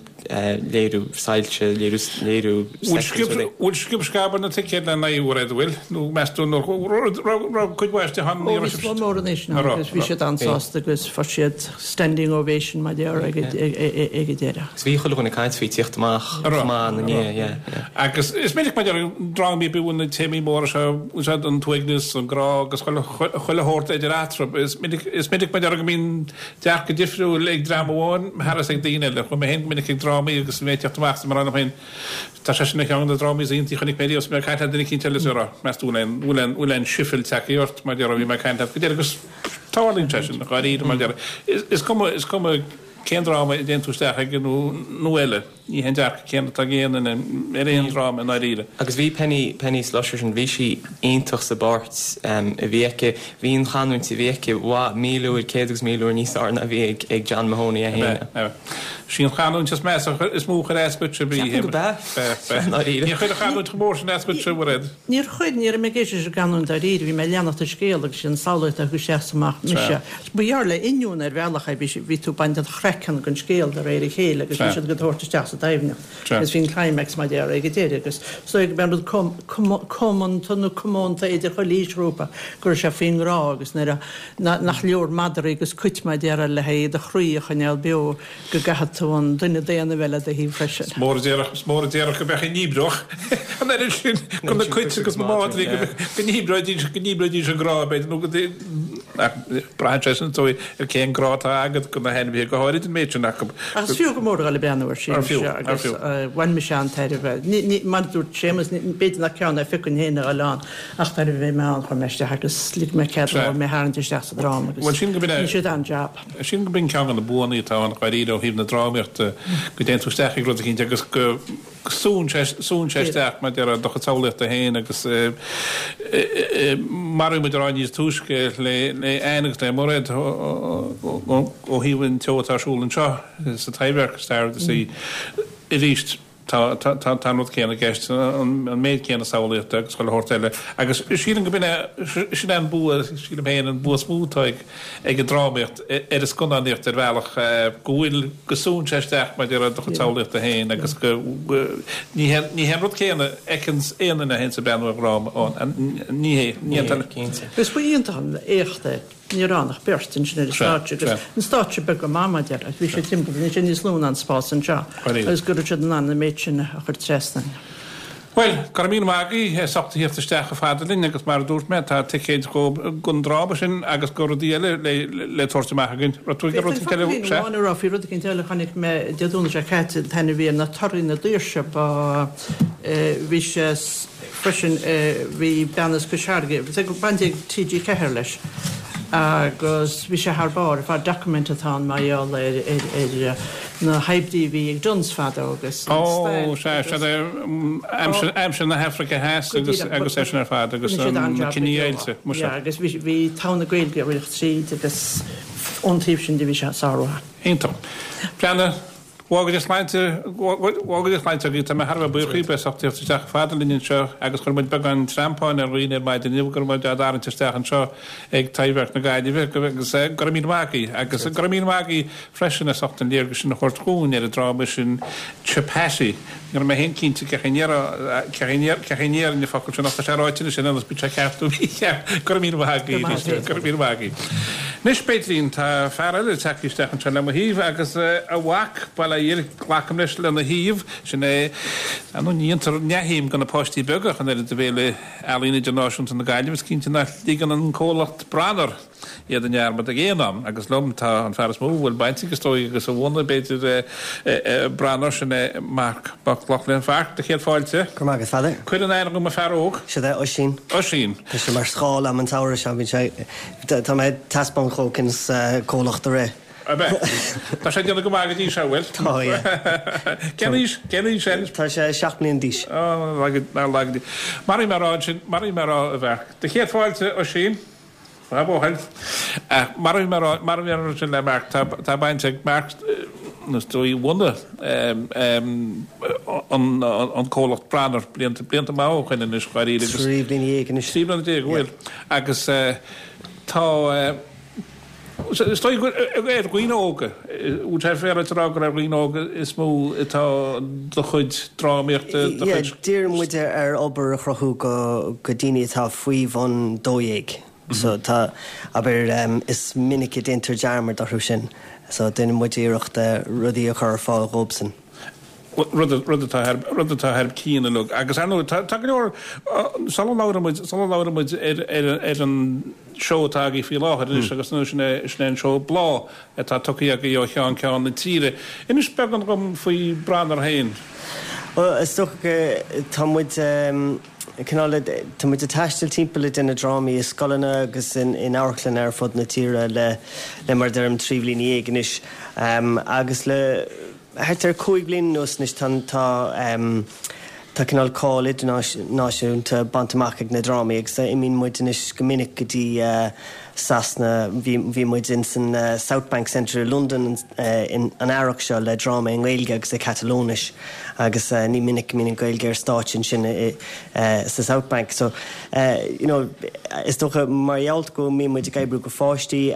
léiriú soilse léiriú léiriú Bhfuil sciob sceab ar na ticéid le naoi uair a bhfuil nó meas tú nó raibh cuid mhaith istigh ann ní raibh sibh mór anois ná agus bhí siad an-sásta agus fuair siad standing ovation mar déarfá ag ag an deireadh. Agus bhí chuile dhuine ag caint faoi tíocht amach chomh maith ina ndiaidh yeah yeah. Agus is minic mar drámaí bíonn na téamaí móra seo úsáid an t-uaigneas an grá agus chuile chuile shórt idir eatarthu is minic is minic mar go mbíonn dearcadh difriúil ag dream amháin thar is ag daoine eile. Chuaigh mé féin go minic ag drámaí agus mé ag teacht amach is mar féin tá sé sin ar cheann de na drámaí is iontaí a chonaic mé riamh is mé ag caint le duine eicínt eile is é ag rá meas tú bhfuil aon bhfuil aon bhfuil aon sifil tagtha ort mar déarfá bhí mé ag caint leat go deireadh agus tarlaíonn sé sin dháiríre mar déarfá is is cuma is cuma cén dráma a dtéann tú isteach aige nó nó eile ní hé an dearcadh céanna atá ag aon duine ar aon dráma i ndáiríre. Agus bhí Penny Penny Slusher sin bhí sí iontach sa bpáirt a bhí aici bhí an chanúint a bhí aici mhaith míle uair céad agus míle uair níos fearr ná a bhí ag ag John Mahoney é féin. Ab ea, ab ea. Sí an chanúint is measa is mó a chuir as duitse ab í. Ceapaim go b'ea. B'ea, b'ea. Ndáiríre. Níor chuir an chanúint chomh mór sin as duitse, a Mhairéad? Níor chuir, ní raibh mé ag éisteacht leis an gcanúint dáiríre, bhí mé ag leanacht an scéal agus sin samhlaíocht a chuaigh isteach is amach mise. Ba ghearr le inneoin ar bhealach é, bhí bhí tú ag baint an chraiceann den scéal de réir a chéile agus bhí siad ag tabhairt isteach sa doimhneacht agus bhí an climax mar déarfá ag an deireadh agus is dóigh go mb'é an rud comónta nó comónta idir chuile aoisghrúpa go raibh sé faoin ngrá agus nuair a nach leor madraí agus cait mar déarfá le haghaidh do chroí a choinneáil beo go gcaithfidh tú an duine daonna a bheith le do thaobh freisin. Is mór a déarfadh, is mór a déarfadh go mbeadh a ndíbreodh an oiread sin de na cait agus na madraí go ndíbreoidís, go ndíbreoidís an grá b'fhéidir nó go ach braitheann sé sin is dóigh ar cén grá atá agat do na hainmhithe go háirid an méid sin acu. Ach is fiú go mór a dhul ag breathnú air sin Ar fiú, ar agus fiú. bhain mise an-tairbhe. Mar a dúirt Séamus, b'fhéidir nach ceann é a phiocfainn féin a dhul ann ach nuair a bhí mé ann chuaigh mé isteach agus lig mé cead dóibh mé a tharraingt isteach sa dráma agus Bhuel sin go b'in é. rinne siad an-jab. Sin go b'in ceann de na buanna atá ann dháiríre ó thaobh na drámaíochta go dtéann tú isteach ag rud eicínt agus go súnn sé súnn sé isteach mar déarfá do chuid samhlaíochta féin agus mar a bhí muid ag rá níos túisce le le Anne agus le Mairéad ó thaobh an tseó atá ar siúl anseo sa Taibhdhearc, Star of the Sea arís. Tá tá an rud céanna i gceist, an méid céanna samhlaíochta agus chuile shórt eile. Agus sílim go b'in é, sin é an bua, sílim féin, an bua is mó atá ag ag an drámaíocht ar an scannánaíocht ar bhealach, go bhfuil, go súnn sé isteach mar a déarfá do chuid samhlaíochta féin agus go, ní hé, ní hé an rud céanna a fheiceann aon duine a théanns ag breathnú ar dhráma ann, ní hé, ní hé an Cinnte. Is ba iontach an éacht é. Ní raibh ann ach beirt ansin ar an stáitse agus an stáitse beag go maith mar déarfá. Bhí sé timpeall, bhí sé níos lú ná an spás anseo agus go raibh siad in ann an méid sin a chur trasna. Bhuel, go raibh míle maith agaibh as ucht a thíocht isteach chomh fada linn agus mar a dúirt mé, tá ticéid don dráma sin agus do rudaí eile le le tabhairt amach againn. Raibh tú ag rud Féadfainn eile? focailín amháin a rá faoi rud eicínt eile a chonaic mé Dé Domhnaigh seo caite, an t-ainm a bhí air ná Torthaí na Daoirse. Ba bhí sé freisin, bhí bean as Cois Fharraige, baint ag T G Ceathair leis. Agus bhí sé thar barr ar fad, document atá ann mar gheall ar ar na hoibrí a bhí ag Dunnes fadó agus an Ó, stailc sea, agus. sea, aimsir, aimsir na hAfraice Theas Go agus, díreach, agus é sin ar fad agus rinne siad na an-jab go deo. cinedheighilte, muise. Yeah, agus bhí, bhí togha na Gaeilge ag rith tríd agus ón taobh sin de bhí sé sármhaith. Iontach. Breathnaigh. Go bhfága Dia sláinte, go bhfága Dia sláinte agaibh, tá mé thar a bheith buíoch daoibh as ucht tíocht isteach chomh fada linn anseo agus chuir muid beagán treampáin ar dhaoine ar maidin inniu go raibh muid á dtarraingt isteach anseo ag Taibhdhearc na Gaillimhe agus go raibh míle maith agaibh agus go raibh míle maith agaibh freisin as ucht an léargas sin a thabhairt dhúinn ar an dráma sin Chapati. Ní raibh mé féin cinnte cén chaoi a ndéarfainn an focal sin ach tá sé ráite anois in ionas bíonn sé ceart nó mícheart. Go raibh míle maith agaibh arís, go raibh míle maith agaibh. Anois, Peidrín, tá fear eile tagtha isteach anseo le mo thaobh agus a mhac, bail ó Dhia air, glacaim leis, lena thaobh. Sin é, ar ndóigh, ní dhéantar neamhshuim de na páistí beaga ach an oiread i bhFéile Ealaíon Idirnáisiúnta na Gaillimhe. Is cinnte nach ligeann an comhlacht Branar iad i ndearmad ag aon am. Agus liom tá an fear is mó a bhfuil baint aige, is dóigh, agus a bhunaigh, b'fhéidir, Branar, sin é Marc Mac Lochlainn. A Mharc, do chéad fáilte. Go raibh maith agat, Pheadair. Cuir in aithne dhom an fear óg. Siod é Oisín. Oisín. Tá sé mar scáil a'm an tsamhradh seo, bíonn sé, tá mé ag taispeáint chomh conas comhlacht a rith. Ab ea? Tá sé ag déanamh go maith go dtí seo, bhfuil? Tá, yeah. Cén aois, cén aois é? Tá sé seacht mbliana d'aois. Á, nár laga Dia. Mar a bhí mé a rá ansin, mar a bhí mé a rá, a Mharc. Do chéad fáilte, Oisín. Maith buachaill. Mar a bhí mé a rá, mar a bhí mé a rá ansin le Mark, tá, tá baint ag Mark, is dóigh, bhunaigh an, an comhlacht Branar blianta, blianta maith ó shoin anois, dháiríre agus. Trí bliana dhéag anois. Trí bliana déag, bhuel. Agus tá, Is dóigh gur ar dhaoine óga, bhfuil sé féaráilte a rá gur ar dhaoine óga is mó atá do chuid drámaíochta, do Yeah, chuid. díríonn muid ar obair a chruthú go go daoine atá faoi bhun dó dhéag. So tá, abair, is minic a déantar dearmad orthu sin. So déanann muid iarracht rudaí a chur ar fáil dhóibhsan. Rud rud atá thar rud atá thar cionn uilig. Agus ar ndóigh tá tá go leor sula labhrann muid sula labhrann muid ar ar ar an seó atá agaibh faoi láthair anois agus nó sin é sin é an seó Bláth atá tugtha agaibh ó cheann ceann na tíre. Inis beagán dhom faoi Branar féin. Bhuel, is dócha go tá muid cineál tá muid ag taisteal timpeall ag déanamh drámaí i scoileanna agus in in amharclanna ar fud na tíre le le mar a deirim trí bhliana dhéag anois agus le Thart ar cúig bliana anuas anois tá tá tá cineál cáil idirnáisiúnta bainte amach ag na drámaí agus imíonn muid anois go minic go dtí Sasana. Bhí bhí muid in san South Bank Centre i Londain in an earrach seo le dráma i nGaeilge agus i Catalóinis agus ní minic go mbíonn an Ghaeilge ar stáitse ansin i sa South Bank. So you know is dócha mar gheall go mbíonn muid ag oibriú go pháistí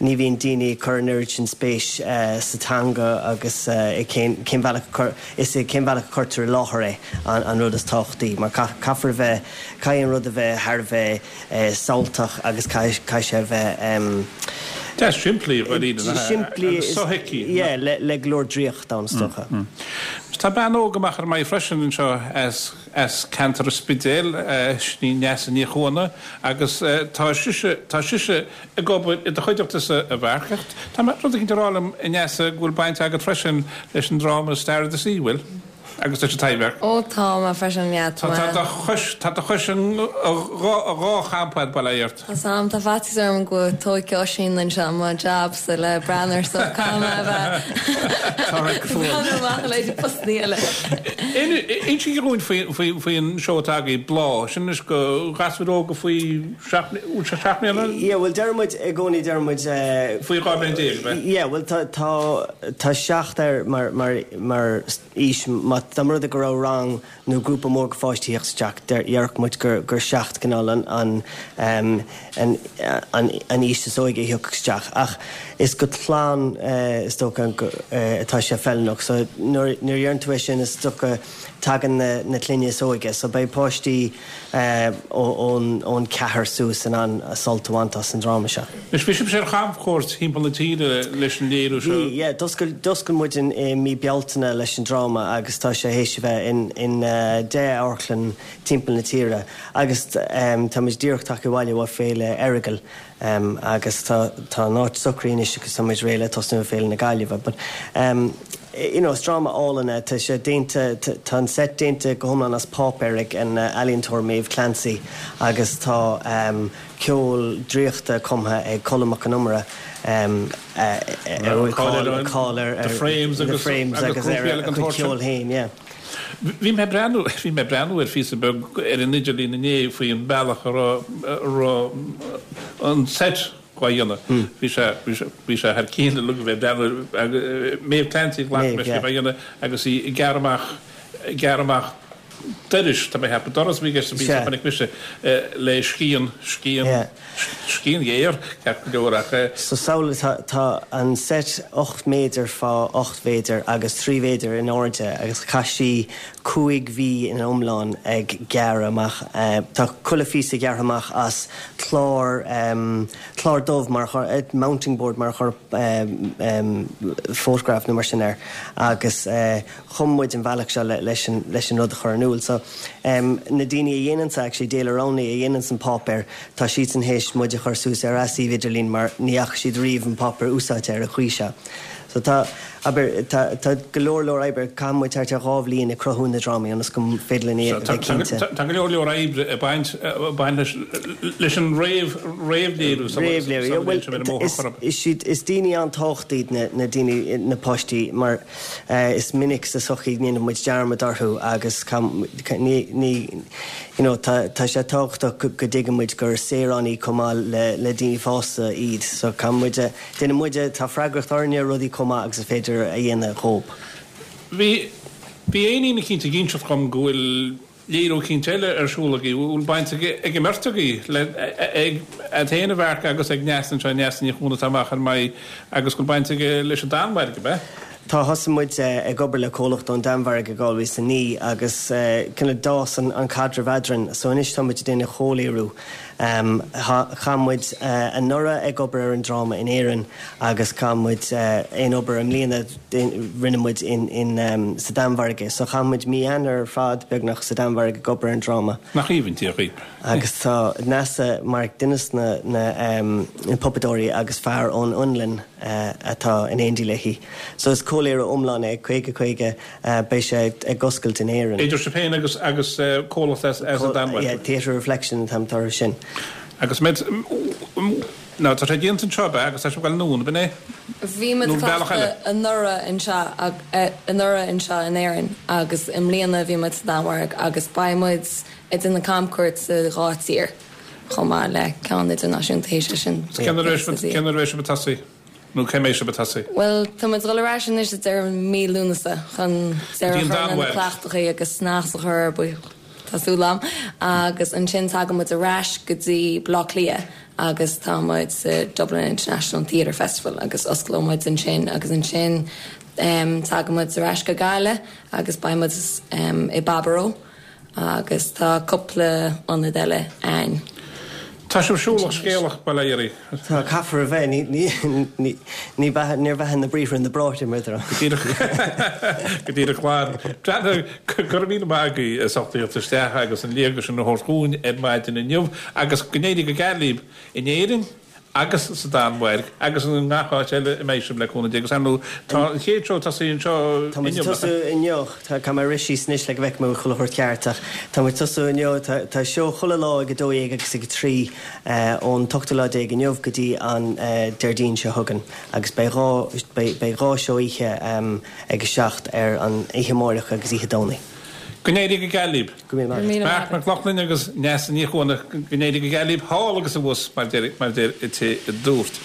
ní bhíonn daoine ag cur an oiread sin spéis sa teanga agus i cén cén bhealach a chur is i cén bhealach a chuirtear i láthair é an an rud is tábhachtaí mar caithfear a bheith caithfidh an rud a bheith thar a bheith samhaltach agus caithfidh caithfidh sé a bheith Deas simplí dáiríre simplí agus sothuigthe. Yeah le le go leor draíocht ann is dócha. Tá bean óg amach ar maidin freisin anseo as as ceantar an Spidéil, sin í Neasa Ní Chuana agus tá sise tá sise ag obair i do chuideachta-sa a Mhairc. Tá rud éicint ag rá liom a Neasa go bhfuil baint agat freisin leis an dráma Star of the Sea, bhfuil? Agus leis an Taibhdhearc. Ó tá mé freisin, yeah, tá Tá mé. do chois tá do chois in dhá dhá champa a'd, bail ó Dhia ort. Tá sam, tá faitíos orm go dtógfaidh Oisín anseo mo jab sa le Branar so caithfidh mé a bheith breathnú amach le haghaidh postanna eile. Insígí dhúinn faoin seó atá agaibh, Bláth, sin anois do ghasúir óga faoi seacht bhfuil sé seacht mbliana? Yeah, bhuel deir muid i gcónaí deir muid Faoi dhá bhliain déag, ab ea? Yeah, bhuel tá tá tá seacht air mar mar mar aois má dá mba rud é go raibh rang nó grúpa mór go pháistí theacht isteach déarfadh muid gur gur seacht cineál an an an an an aois is óige a thiocfadh isteach ach is go clann is dócha atá sé feiliúnach so nuair nuair a dheireann tú é sin is dócha tagann na na clainne is óige so beidh páistí ón ón ceathair suas in ann sult a bhaint as an dráma seo. Anois bhí sibhse ar chamchuairt thimpeall na tíre leis an léiriú seo. Bhí, yeah, d'oscail d'oscail muid in i mí Bealtaine leis an dráma agus tá sé théis a bheith in in deich amharclann timpeall na tíre agus tá muid díreach tagtha abhaile ó Féile Earagail agus tá tá an áit socraithe anois agus tá muid réidh le tosnú i Féile na Gaillimhe but you know is dráma álainn é tá sé déanta tá an set déanta go hiomlán as páipéar ag an ealaíontóir Maeve Clancy agus tá ceol draíochta cumtha ag Colm Mac Con Iomaire a bhfuil cáil ar The Frames The Frames agus ar a chuid ceoil féin yeah. Bhí mé ag breathnú bhí mé ag breathnú ar phíosa beag ar an idirlíon inné faoin bealach a raibh a raibh an set dhá dhéanamh. Bhí sé bhí sé bhí sé thar cionn uilig a bheith ag breathnú Maeve Clancy ghlac leis dhá dhéanamh agus í ag gearradh amach ag gearradh amach dorais, tá mé ag ceapadh doras a bhí i gceist sa bpíosa a chonaic mise le scian scian scian ghéar ceart go leor ach. So samhlaigh tá tá an set ocht méadar fá ocht mhéadar agus trí mhéadar in airde agus chaith sí cúig mhí ina iomlán ag gearradh amach. Tá chuile phíosa gearrtha amach as clár clár dubh mar a mounting board mar a chuir photograph nó mar sin air agus chum muid an bhealach seo leis an leis an rud a chur in iúl. So na daoine a dhéananns actually Daler Rowney a dhéananns an páipéar tá siadsan théis muid a chur suas ar a suíomh idirlín mar ní fhaca siad riamh an páipéar úsáidte ar an chaoi seo. So tá, abair, tá, tá go leor leor oibre, caitheann muid thart ar dhá bhliain ag cruthú na drámaí ionas go féidir linn é a bheith cinnte. Tá go leor leor oibre ag baint, baint leis, leis an réamh, réamhléiriú sula, Réamhléiriú, sula bhuel, mbíonn sibh ar an mbóthar is, chor ar bith. is siad, is daoine an-tábhachtach iad na, na daoine, na páistí mar eh, is minic sa sochaí ndéanann muid dearmad orthu agus ní, ní, you know, tá, tá sé tábhachtach go, go dtuigeann muid gur saoránaigh chomh maith le, le daoine fásta iad. So caithfidh muid, déanann muid, tá freagracht orainne rudaí chomh maith agus is féidir a dhéanamh dhóibh. Bhí bhí éinín cinnte ginseach gom go bhfuil léiriú eicínt eile ar siúl agaibh, bhfuil baint ag an mbeirt agaibh le ag ag féin a Mharc agus ag Neasa anseo Neasa Ní Chuana atá amach ar maidh agus go bhfuil baint aige leis an Danmhairg, ab ea? Tá thosaigh muid ag obair le comhlacht ón Danmhairg i dhá mhíle is a naoi agus cineál d'fhás an caidreamh eadrainn. So anois tá muid ag déanamh comhléiriú. Chaith muid anuraidh ag obair ar an dráma in Éirinn agus chaith muid aon obair i mbliana rinne muid in in sa Danmhairg é. So chaith muid mí Eanáir ar fad beagnach sa Danmhairg ag obair ar an dráma. Nach aoibhinn Dia dhaoib. Agus tá Neasa mar duine de na na na puipéadóirí agus fear ón Fhionlainn atá in éindí léi. So is comhléiriú iomlán é caoga caoga beidh sé ag oscailt in Éirinn. Idir sibh féin agus agus comhlacht as as an Danmhairg. Yeah, Theatre Reflection an t-ainm atá air sin. Agus med Ná tá sé déanta anseo be agus tá sé bhfuil nún bin é? Bhí muid Nó bealach eile. cleachtadh anuraidh anseo anuraidh anseo in Éirinn agus i mbliana bhí muid sa Danmhairg agus beidh muid ag déanamh camchuairt sa dhá tír chomh maith le ceann idirnáisiúnta théis sin. Cén uair cén uair sibh ag tosaí? Nó cé mbeidh sibh ag tosaí? Well tá muid dul ar ais anois deireadh mí Lúnasa chun deireadh Go dtí an chur na Danmhairg. cleachtachaí agus snas a chur ar buí Tá súil agam agus ansin tagann muid ar ais go dtí Baile Átha Cliath agus tá muid sa Dublin International Theatre Festival agus osclóidh muid ansin agus ansin um, tagann muid ar ais go Gaillimh agus beidh muid um, i Baboró agus tá cúpla ionad eile ann. Tá sibh siúlach scéalach bail ó Dhia oraibh. Tá caithfear a bheith ní ní ní ní beatha níor bheatha na briathra na bráithre mar Go díreach go díreach glan. Go raibh míle maith agaibh as ucht teacht isteach agus an léargas sin a thabhairt dhúinn ar maidin inniu agus go n-éirí go geal libh in Éirinn agus sa Danmhairg agus in ngach áit eile i mbeidh sibh le cúnamh Dé agus ar ndóigh tá an chéad seó tosaithe anseo Tá muid inniu. tosú inniu tá tá mé rith síos anois le go bhfeicfidh mé chuile shórt ceart ach tá muid tosú inniu tá tá seó chuile lá ag a dó dhéag agus ag a trí ón t-ochtú lá déag inniu go dtí an Déardaoin seo chugainn agus beidh dhá beidh beidh dhá seó oíche ag a seacht ar an oíche amárach agus oíche Domhnaigh. Go n-éirí go geal libh. Go míle maith. Marc Mac Lochlainn agus Neasa Ní Chuana go n-éirí go geal libh thall agus abhus mar deir mar deir i té a dúirt.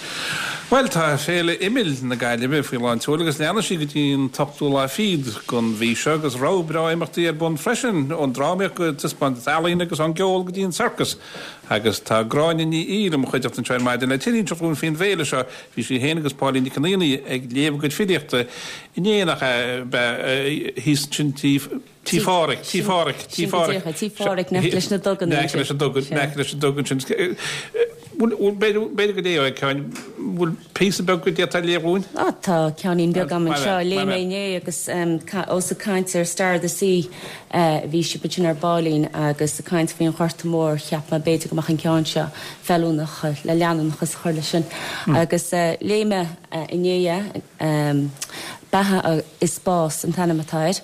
Well tá féile imill na Gaillimhe faoi lán tseoil agus leanfaidh sí go dtí an t-ochtú lá fichead den mhí seo agus rogha breá imeachtaí ar bun freisin ón drámaíocht go taispeántas ealaíon agus ón gceol go dtí an circus. Agus tá Gráinne Ní Aoidh i mo chuideachta anseo ar maidin le tuilleadh a inseacht dúinn faoin bhféile seo. Bhí sí féin agus Pauline Nic an Aonaigh ag léamh a gcuid filíochta inné nach ea thíos ansin tí Tí Phádraig, Tí Phádraig, Tí Phádraig. Tí Phádraig in aice leis na duganna. In aice leis na dugan, in aice leis na dugan sin. B'fhéidir go léifeá ceann, bhfuil píosa beag go d'fhéadfá a léamh dúinn? Á tá ceainnín beag agam anseo, léigh mé inné agus ós ag caint ar Star of the Sea bhí sibh ansin ar baillín agus ag caint faoin Ghorta Mór cheap mé b'fhéidir go mbeadh an ceann seo feiliúnach le leanúnachas a chur leis sin. Agus léigh mé inné é, Beatha is Bás an t-ainm atá air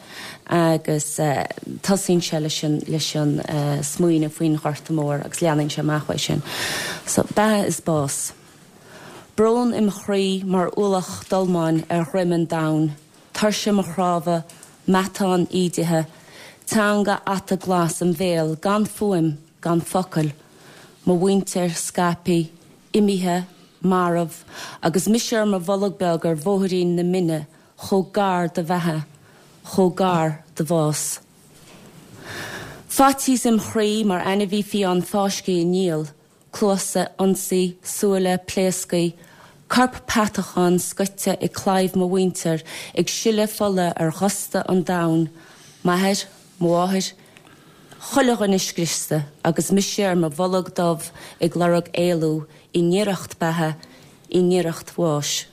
agus tosaíonn sé leis an leis an smaoineamh faoin Ghorta Mór agus leanann sé amach uaidh sin. So Beatha is Bás. Brón im chroí mar ualach dolmáin ar dhroim an domhain, tuirse mo chnámha, matán ídithe, teanga ata glas im bhéal gan fuaim, gan focal, mo mhuintir scaipthe, imithe, marbh, agus mise ar mo bholg beag ar bhóithrín na mine, chomh gar do bheatha, chomh gar do bhás. Faitíos im chroí mar ainmhí fiáin fáiscthe i ngiall, cluasa ionsaí, súile pléasctha, corp peatachán scoite ag claíomh mo mhuintir ag sileadh fola ar dhusta an domhain, m'athair, mo mháthair, chuile dhuine scriosta agus mise ar mo bholg dubh ag lorg éalú i ngiorracht beatha, i ngiorracht bháis.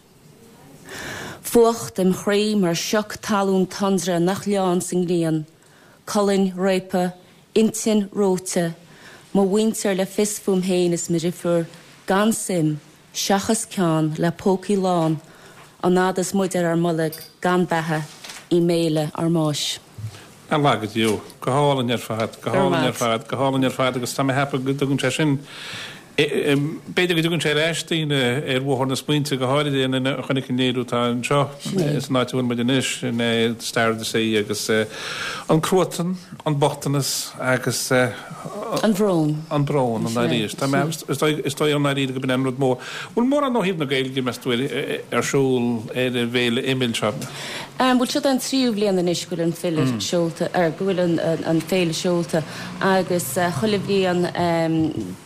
Fuacht im chroí mar sioc talún tundra nach leánn sa ngrian, colainn réabtha, intinn reoite, mo mhuintir le fios fúm féin is mo dheirfiúr gan suim, seachas ceann le pócaí lán, an fhad is muid ar ár mbolg gan beatha i mbéile ár mbáis. Ar laghad Deo, go hálainn ar fad, go hálainn ar fad, go hálainn ar fad agus tá mé ag ceapadh go dtugann sé sin B'fhéidir go dtugann sé ar ais daoine ar bhóthar na smaointe, go háirithe aon duine a chonaic an léiriú atá anseo san áit a bhfuil muid anois, in Star of the Sea, agus an cruatan, an bochtanas agus an brón. An brón, an arís. Tá mé, is dóigh i ndáiríre go b'in an rud mór. Bhfuil mórán ó thaobh na Gaeilge, meas tú, ar siúl ar an bhféile Imill seo? Bhuel, seo an tríú bhliain anois go bhfuil an file seolta, ar go bhfuil an féile seolta agus chuile bhliain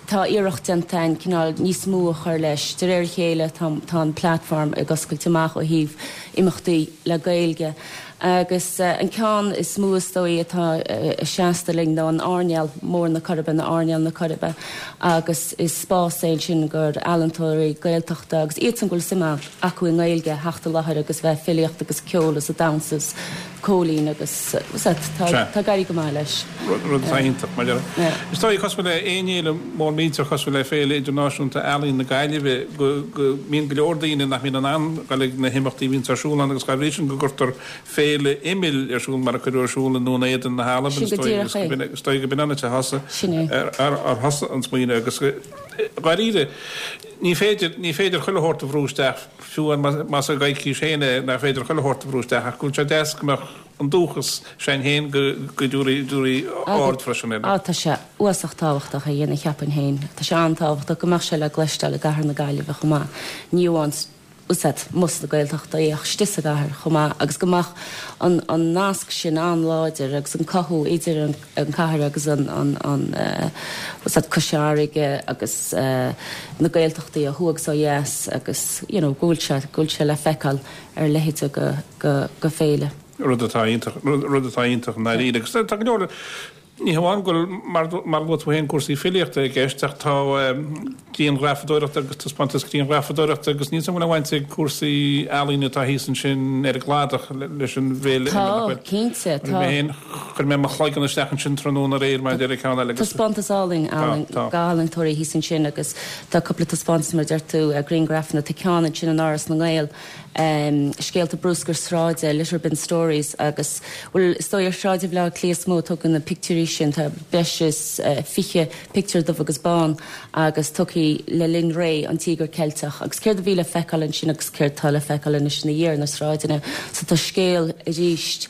tá iarracht déanta an cineál níos mó a chur leis. De réir a chéile tá tá an platform ag oscailt amach ó thaobh imeachtaí le Gaeilge. Agus an ceann is mó is dóigh atá seasta linn ná an Airneál Mór na Coiribe, nó Airneál na Coiribe, agus is spás é sin gur ealaíontóirí Gaeltachta agus iadsan go bhfuil suim acu i nGaeilge theacht i láthair agus bheith filíocht agus ceol is a damhsa is cóilín agus tá tá ag éirí go maith leis. Rud atá iontach mar deir. Is dóigh cosúil le aon fhéile mór millteach cosúil le Féile Idirnáisiúnta Ealaíon na Gaillimhe go go mbíonn go leor daoine nach mbíonn in ann dul ag na himeachtaí a bhíonns ar siúl ann agus dá bhrí sin go gcuirtear féile imill ar siúl mar a cuireadh ar siúl i nDún Éideann na hAlban Sin is go dóigh díreach é. is dóigh go b'in an áit a thosaigh Sin é. ar ar ar thosaigh an smaoineamh agus dháiríre ní féidir ní féidir chuile shórt a bhrú isteach fiú más i gcoicís féin é nach féidir chuile shórt a bhrú isteach ach go bhfuil sé deas go mbeadh an dúchas sin féin go go dtabharfaí dtabharfaí aird freisin air. Á tá sé uasach tábhachtach a dhéanamh cheapfainn féin. Tá sé an-tábhachtach go mbeadh sé le cloisteáil i gcathair na Gaillimhe chomh maith. Ní amháin úsáid mus na Gaeltachta ach istigh sa gcathair chomh maith agus go mbeadh an an nasc sin an-láidir agus an cothú idir an an cathair agus an an an úsáid Cois Fharraige agus na Gaeltachtaí ó thuaidh agus ó dheas agus you know go bhfuil sé go bhfuil sé le feiceáil ar leithéid go go go féile. Rud atá iontach rud atá iontach i ndáiríre agus tá go leor Ní hamháin go bhfuil, mar a luaigh tú féin, cúrsaí filíochta i gceist ach tá grianghrafadóireacht agus taispeántas grianghrafadóireachta agus níl 's agam an bhfuil aon bhaint ag cúrsaí ealaíne atá thíos ansin ar an gcladach leis an bhféile Tá, cinnte, tá. Mé féin, chuir mé mo chloigeann isteach ansin tráthnóna aréir maidir le ceann eile agus. Taispeántas álainn, álainn, d'ealaíontóirí thíos ansin agus tá cúpla taispeántas mar a deir tú, grianghrafanna, tá ceann ansin in Áras na nGael, scéalta bruscair sráide, litter bin stories agus, bhuel, is dóigh ar Shráid Bhaile Átha Cliath is mó a tugadh na pictiúirí sin, tá breis is fiche pictiúr dubh agus bán agus tugtha le linn ré an Tíogar Ceilteach agus céard a bhí le feiceáil ansin agus céard tá le feiceáil anois ina dhiaidh ar na sráideanna. So tá scéal arís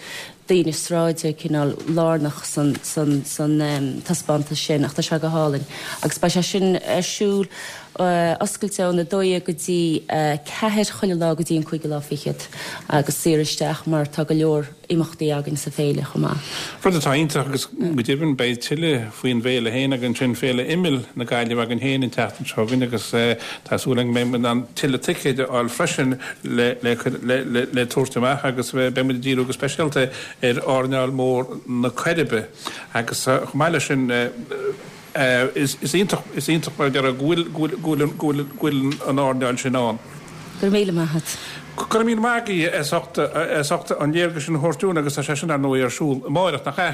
daoine sráide cineál lárnach san san san taispeántas sin ach tá sé go hálainn agus beidh sé sin ar siúl oscailte ón a dó dhéag go dtí a ceathair chuile lá go dtí an cúigiú lá fichead agus saor isteach mar tá go leor imeachtaí againn sa féile chomh maith. Rud atá iontach agus go deimhin beidh tuilleadh faoin bhféile féin againn sin, Féile Imill na Gaillimhe againn féin an tseachtain seo chugainn agus tá súil againn go mbeidh muid in ann tuilleadh ticéid a fháil freisin le le tabhairt amach agus beidh muid ag díriú go speisialta ar Airneál Mór na Coiribe agus chomh maith leis sin is iontach is iontach mar a déarfá go bhfuil go bhfuil go bhfuil go bhfuil an airneál sin ann. Go raibh míle maith agat. Go raibh míle maith agaibh as ucht as ucht an léargas sin a thabhairt dúinn agus tá sé sin ar ndóigh ar siúl amáireach, nach ea?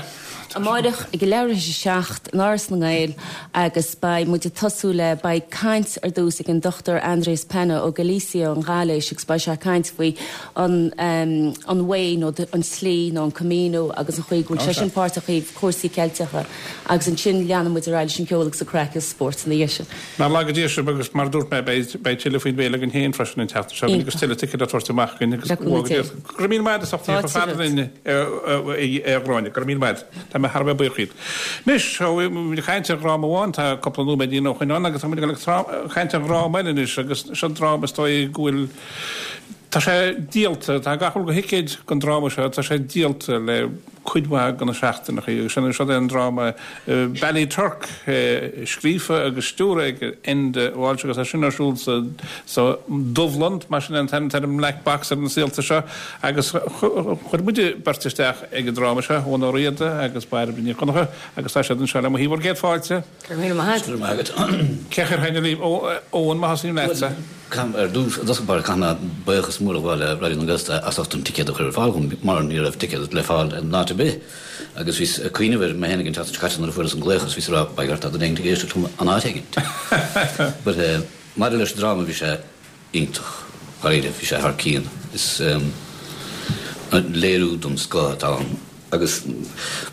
Amáireach ag a leathuair théis a seacht in Áras na nGael agus beidh muid ag tosú le, beidh caint ar dtús ag an Dochtúir Andrés Pena ó Galicia ón Ghailís agus beidh sé ag caint faoi an an way nó an tslí nó an Camino agus an chaoi go bhfuil sé sin páirteach i cúrsaí Ceilteacha agus ansin leanann muid ar aghaidh leis an gceol agus an craic agus spórt ina dhiaidh sin. Nár laga Dia sibh agus mar a dúirt mé beidh beidh tuilleadh faoin bhféile againn féin freisin an tseachtain seo agus tuilleadh ticéad á dtabhairt amach againn agus go raibh míle maith agat as ucht a theacht fada linn a Ghráinne, go raibh míle maith agat. Tá mé thar a bheith buíoch díot. Anois, tá muid ag caint ar dhráma amháin, tá cúpla nóiméidín ó shoin ann agus tá muid ag caint ar dhráma eile anois agus seo dráma is dóigh go bhfuil Tá sé díolta, tá gach uile thicéad don dráma seo, tá sé díolta le cuid mhaith de na seachtaineacha agus sin seo é an dráma Ballyturk scríofa agus stiúrtha ag Enda Walsh agus tá sin ar siúl sa sa Dubhlann, mar sin an t-ainm an Black Box ar na saolta seo agus chuir muide beirt isteach ag an dráma seo, Eoin Ó Riada agus Bairbre Ní Dhonncha agus tá siad anseo le mo thaobh. Bhur gcéad fáilte. Go raibh míle maith agat. Go raibh maith agat. Cé a chuirfidh libh? Eoin, má thosaím leatsa. Caithfidh, ar dtús, i dtosach báire, caithfidh mé buíochas mór a ghabháil le Raidió na Gaeltachta as ucht an ticéad a chur ar fáil dhom mar ní raibh ticéad le fáil in áit ar bith agus bhíos ag cuimhneamh air mé féin ag an tseachtain seo caite nuair a fuaireas an glaoch agus bhíos ag rá by God tá duine éigin ag éisteacht liom an áit éigin. But eh, maidir leis an dráma bhí sé iontach, dháiríre, bhí sé thar cionn. Is léiriú den scoth atá ann agus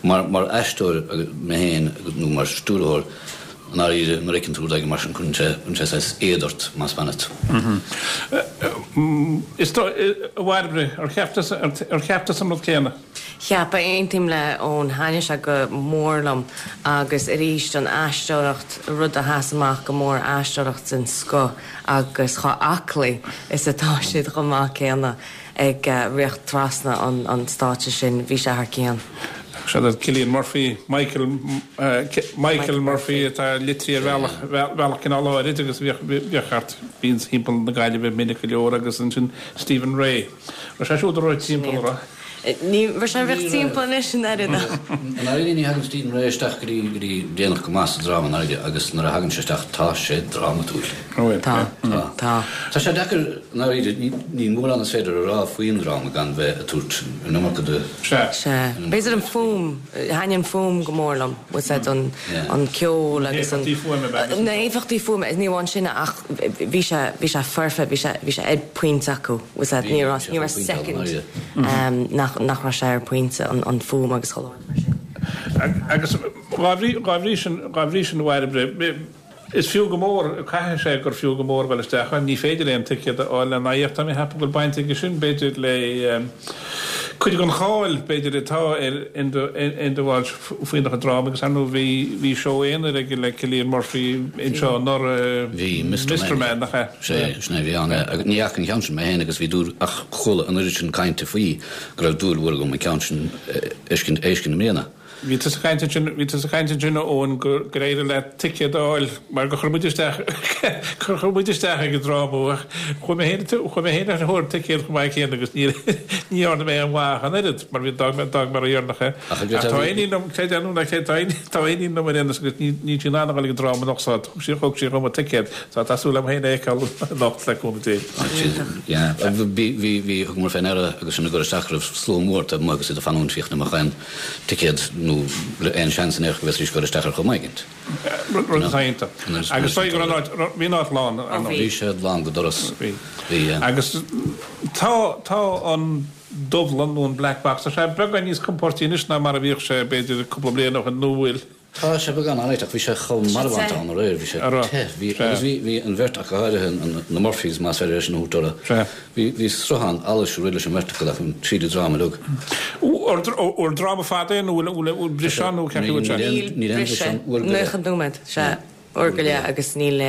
mar, mar aisteoir mé féin nó mar stiúrthóir, I ndáiríre, nuair a fheiceann tú rud éigin mar sin, cuireann sé, cuireann sé saghas éad ort, más bean leat. Is dóigh, a Bhairbre, ar cheap tusa, ar cheap tusa an rud céanna? Cheap, aontaím le Eoin, thaitnigh sé go mór liom agus arís an aisteoireacht, rud a sheas amach go mór, aisteoireacht den scoth agus chomh aclaí is atá siad chomh maith céanna ag rith trasna an stáitse sin, bhí sé thar cionn. Siad iad Cillian Murphy, Michael Michael Murphy atá litrithe ar bhealach bhealach cineál áirid agus bhíodh bhíodh thart bíonn timpeall na Gaillimhe minic go leor agus ansin Stephen Rea. Raibh sé siúd ag rith timpeall an raibh? Ní raibh sé ag rith timpeall anois an oiread ach. I ndáiríre ní thagann Stephen Rea isteach go dtí go dtí déanach go maith sa dráma i ndáiríre agus nuair a thagann sé isteach tá sé drámatúil. Tá. Tá. Tá. Tá sé deacair i ndáiríre níl mórán is féidir a rá faoin dráma gan bheith ag tabhairt an iomarca de. Sea. Sea. B'fhéidir an fuaim, thaitnigh an fuaim go mór liom, bhfuil 's a'd, an, an ceol agus an. Na héifeachtaí fuaime ab ea? Na héifeachtaí fuaime, ní amháin sin ach bhí sé, bhí sé foirfe, bhí sé, bhí sé ar pointe acu, bhfuil 's a'd, ní raibh, ní raibh second nach, nach raibh sé ar pointe, an, an fuaim agus chuile shórt mar sin. Agus dhá bhrí, dhá bhrí sin, dhá bhrí sin a Bhairbre, Is fiú go mór, caithfidh sé gur fiú go mór dul isteach ann. Ní féidir aon ticéad a fháil lena aghaidh ach tá mé ag ceapadh go bhfuil baint aige sin, b'fhéidir, le cuid den cháil, b'fhéidir, atá ar Enda Walsh faoina chuid drámaí agus ar ndóigh bhí bhí seó aonair aige le Cillian Murphy anseo anuraidh, Bhí, Mister Man, nach ea? Sea, sin é a bhí ann. Agus ní fhaca an ceann sin mé féin agus bhí dúil, ach chuala an oiread sin cainte faoi go raibh dúil mhór agam an ceann sin a fheiscint a fheiscint i mbliana. Bhí tusa ag caint ansin, bhí tusa ag caint ansin a Eoin gur gur éirigh leat ticéad a fháil mar gur chuir muid isteach gur chuir muid isteach ag an dráma ach chuaigh mé féin chuaigh mé féin ar thóir ticéad chomh maith céanna agus ní ní dhearna mé aon mhaith an oiread mar bhí d'fhág mé d'fhág mé ródheireanach é. Ach Ach tá iníon liom creid é nó ná creid tá tá iníon liom ar aon nós agus ní níl sí in ann a dhul ag an dráma anocht so thug sí thug sí dhom a ticéad so tá súil agam féin é a fheiceáil anocht le cúnamh Dé. Yeah bhí bhí bhí thugamar fé ndeara agus sinn ag dul isteach go raibh slua mór taobh amuigh agus iad ag fanúint féachaint an mbeadh aon ticéad nó le aon seans in aon chor go bhféadfaidís dul isteach ar chuma éigint. Rud atá iontach. Agus dóigh go raibh an áit, bhí an áit lán, ar ndóigh. Bhí sé lán go doras. Bhí. Bhí, yeah. Agus tá, tá an Dubhlann nó an Black Box, tá sé beagán níos compóirtí anois ná mar a bhíodh sé b'fhéidir cúpla bliain ó shin nó bhfuil? Tá sé beagán alright ach bhí sé chomh marbhánta ann aréir, bhí sé te, bhí, agus bhí, bhí an bheirt ach go háirithe, an, na Murphys más féidir é sin a thabhairt orthu, bhí, bhí sruthán allais ag rith leis an mbeirt acu ach tríd an dráma uilig. An dráma fada é nó bhfuil, bhfuil, bhfuil briseadh ann nó cén chaoi a bhfuil sé? Níl briseadh, nócha nóiméad, sea, uair go leith agus níl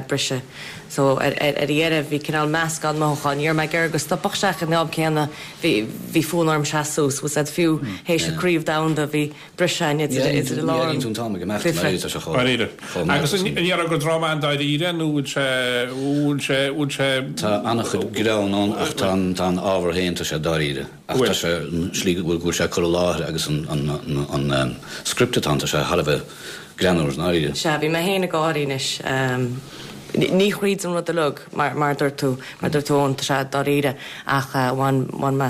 briseadh. So ar, ar, ar dheireadh bhí cineál meascán mothúchán, ní raibh mé ag iarraidh go stopfadh sé ach ag an am céanna bhí, bhí fonn orm seasamh suas, bhfuil 's a'd fiú théis an craobh domhanda bhí briseadh ann idir idir Ní airíonn tú an t-am ag imeacht, Fife. tá sé chomh, Dáiríre. chomh Agus maith an ndéarfá gur dráma an-dáiríre nó bhfuil sé, bhfuil sé, bhfuil sé. Tá an-chuid greann ann ach tá an, tá an ábhar féin, tá sé dáiríre. Ach tá sé, an slí go bhfuil, go bhfuil sé curtha i láthair agus an, an, an, an script atá ann, tá sé thar a bheith greannmhar i ndáiríre. Sea, bhí mé féin ag gáirí anois. Ní thríd an rud uilig, mar, mar a dúirt tú, mar a dúirt tú Eoin, tá sé dáiríre ach bhain, bhain mé,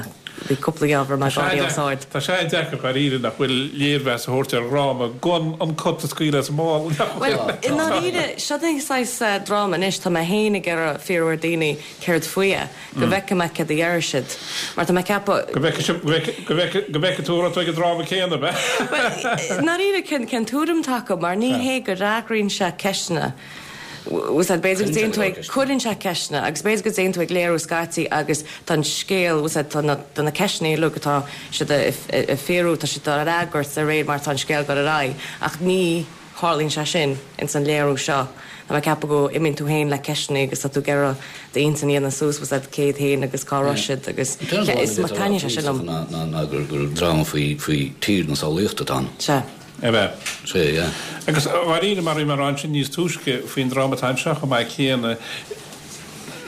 bhí cúpla geábh a raibh mé ag gáirí os ard. Tá sé deacair dáiríre nach bhfuil léirmheas a thabhairt ar dhráma gan an cat a scaoileadh as an mála, nach Bhuel, bhfuil? i ndáiríre, seo an saghas dráma anois, tá mé féin ag iarraidh fiafraí ar daoine céard faoi é, go bhfeicfidh mé céard a déarfaidh siad. Mar tá mé ag ceapadh. Go bhfeicfidh sibh, go bhfeicfidh, go bhfeicfidh, go bhfeicfidh tú an raibh tú ag an dráma céanna, ab ea? Bhuel, i ndáiríre, cén, cén tuairim atá acu, mar ní hé go fhreagraíonn sé ceisteanna. Bhfuil 's a'd, b'fhéidir go dtéann tú ag, cuireann sé ceisteanna agus b'fhéidir go dtéann tú ag léiriú scaití agus tá an scéal, bhfuil 's a'd, tá na, tá na ceisteanna uilig atá siad a, a fiafraí, tá siad á fhreagairt de réir mar atá an scéal ag dul ar aghaidh ach ní tharlaíonn sé sin ins an léiriú seo. Tá mé ag ceapadh go imíonn tú féin le ceisteanna agus tá tú ag iarraidh d'intinn a dhéanamh suas, bhfuil 's a'd, céard féin agus cá raibh siad agus is maith taitníonn sé sin liom. Ná, ná, ná gur, gur dráma faoi, faoi tír na samhlaíochta atá ann. Sea. Ab ea? Sea, yeah. Agus dháiríre, mar a bhí mé a rá ansin níos túisce faoin dráma atá anseo chomh maith céanna,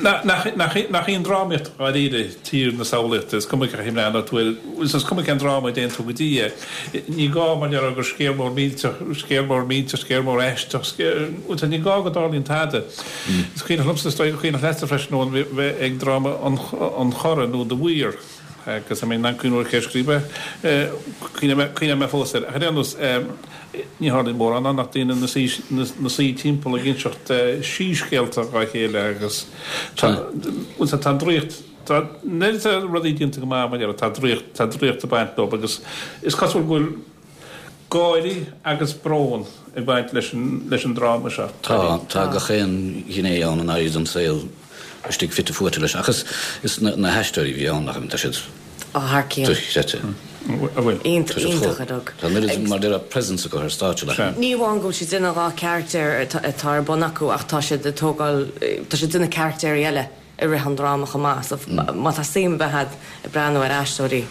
nach í an drámaíocht dháiríre tír na samhlaíochta, is cuma cén chaoi a mbreathnóidh tú air, is cuma cén dráma a dtéann tú go dtí é. Ní gá, mar déarfá, gur scéal mór millteach, scéal mór millteach, scéal mór aisteach, scéal, ní gá go dtarlaíonn tada. Is cuimhneach liomsa, is dóigh gur cuimhneach leatsa freisin, Eoin, bheith ag dráma An Chora nó The Weir. Agus I mean, an cuimhneoir cé a scríobh é, cuimhneoidh mé fós air. Ach ar aon nós, ní tharlaíonn mórán ann ach daoine ina suí timpeall ag inseacht síscéalta dhá chéile agus tá tá an draíocht, tá nuair atá rudaí déanta go maith, mar tá draíocht, tá draíocht ag baint leo agus is cosúil go bhfuil gáirí agus brón ag baint leis an leis an dráma seo. Tá, tá gach aon ghné ann an aghaidh den saol istigh fite fuaite leis. Ach is is na na haisteoirí a bhí ann nach tá siad Ó thar cionn. Dochreidte. An bhfuil? Iontach iontach a dug. Tá an oiread mar deir presence acu ar stáitse le. Ní amháin go bhfuil siad ina dhá charachtar atá ar bun acu ach tá siad ag tógáil tá siad ina carachtéirí eile i rith an dráma chomh maith. So má tá suim ar bith agat ag breathnú ar aisteoirí,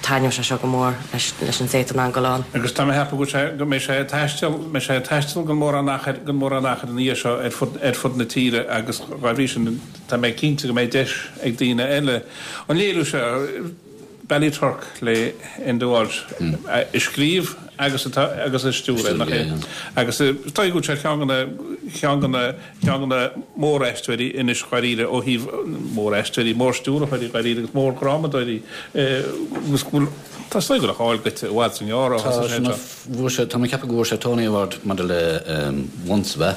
taitneoidh sé seo go mór leis an té atá in ann dul ann. Agus tá mé ag ceapadh go bhfuil sé go mbeidh sé ag taisteal mbeidh sé ag taisteal gan mórán achair gan mórán achair ina dhiaidh seo ar fud ar fud na tíre agus dá bhrí sin tá mé cinnte go mbeidh deis ag daoine eile an léiriú seo Ballyturk le Enda Walsh a scríobh agus atá agus a stiúradh, nach é? Agus is dóigh go bhfuil sé ceann de na ceann de na ceann de na móraisteoirí anois dháiríre ó thaobh móraisteoirí, mórstiúrthóirí dháiríre agus mórdhrámadóirí agus go bhfuil tá is dóigh go bhfuil a cháil goite i bhfad is i ngearr ó Tá thosaigh sé sin seo. bhfuair sé tá mé ag ceapadh go bhfuair sé Tony Award maidir le Once ab ea?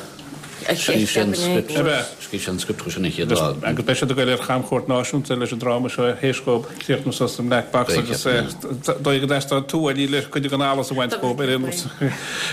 Scríobh sé an script. Scríobh sé an script chuir sin an chéad lá. Agus beidh siad ag goil ar chamchuairt náisiúnta leis an dráma seo théis dhóibh críochnú suas sa mBlack Box agus dóigh go dteastódh tuáillí le cuid den allas a bhaint dhóibh ar aon nós.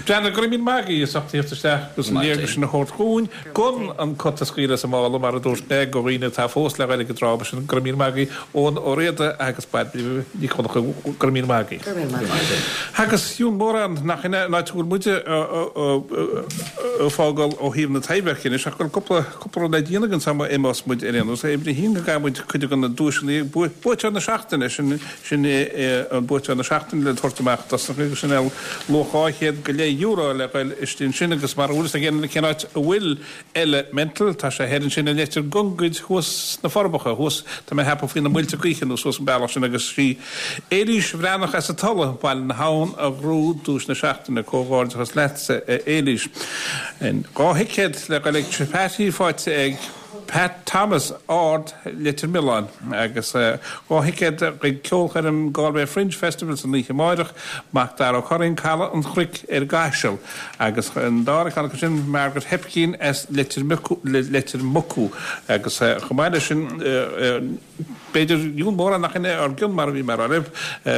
Breandán, go raibh míle maith agat as ucht tíocht isteach agus an léargas sin a thabhairt dhúinn gan an cat a scaoileadh as an mála mar a dúirt mé go dhaoine atá fós le goil ag an dráma sin. Go raibh míle maith agat Eoin Ó Riada agus Bairbre Nic Dhonncha. Go raibh míle maith agat. Go raibh míle maith agat. Agus fiú mórán nach ina ná go bhfuil muide ag fágáil ó thaobh na Taibhdheirce anois ach go bhfuil cúpla cúpla rud le déanamh againn sula n-imeos muid ar aon nós. Uimhir a haon go gcaithfidh muid cuid de na duaiseanna buaiteoir na seachtaine sin sin an buaiteoir na seachtaine le tabhairt amach dosach agus sin luach dhá chéad go leith euro le goil istigh ansin agus mar a bhfuil fhios ag éinne cén áit a bhfuil Elemental tá sé thoir ansin i Leitir Gongaid thuas sna Forbacha thuas tá mé ag ceapadh faoi na muilte gaoithe nó suas an bealach sin agus sí Éilís Bhreathnach as an Tulaigh, Baile na hAbhann a ghnóthaigh duais na seachtaine. Comhghairdeachas leatsa a Éilís. Dhá thicéad le goil ag Patty faighte ag Pat Thomas, Ard, Leitir Mealláin agus dhá thicéad chuig ceolchoirm Galway Fringe Festival san oíche amáireach, Mac Dara Ó Curraoin, Caladh an Chnoic ar an gCaiseal agus an dara ceann acu sin Margaret Hepkin as Leitir Leitir Mucú agus chomh maith leis sin b'fhéidir níl mórán nach in ár gcionn mar a bhí mé a rá libh.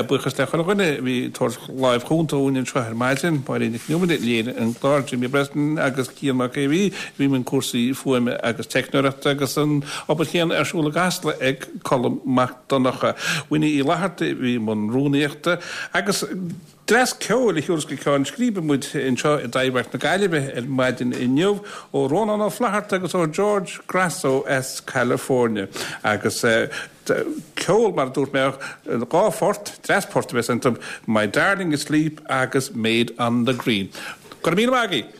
Buíochas le chuile dhuine a bhí ag tabhairt láimh chúnta dhúinn anseo ar maidin, Máirín Nic Con Iomaire a léirigh an clár, Jimmy Breslin agus Cian Mac Aodha Bhuí a bhí i mbun cúrsaí fuaime agus teicneoireachta agus an obair chéanna ar siúl i gCasla ag Colm Mac Donncha. Winnie Uí Fhlatharta a bhí i mbun rúnaíochta agus Dreas ceoil a thiúrfas go ceann scríbe muid anseo i dTaibhdhearc na Gaillimhe ar maidin inniu ó Rónán Ó Flatharta agus ó George Grasso as California. Agus ceol, mar a dúirt mé, dhá phort, dreas port a bheas iontu, My Darling Asleep agus Maid on the Green. Go raibh míle maith agaibh!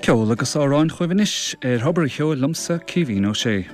Ceol agus amhráin chugaibh anois ar Thobar an Cheoil liomsa Caoimhín Ó Sé.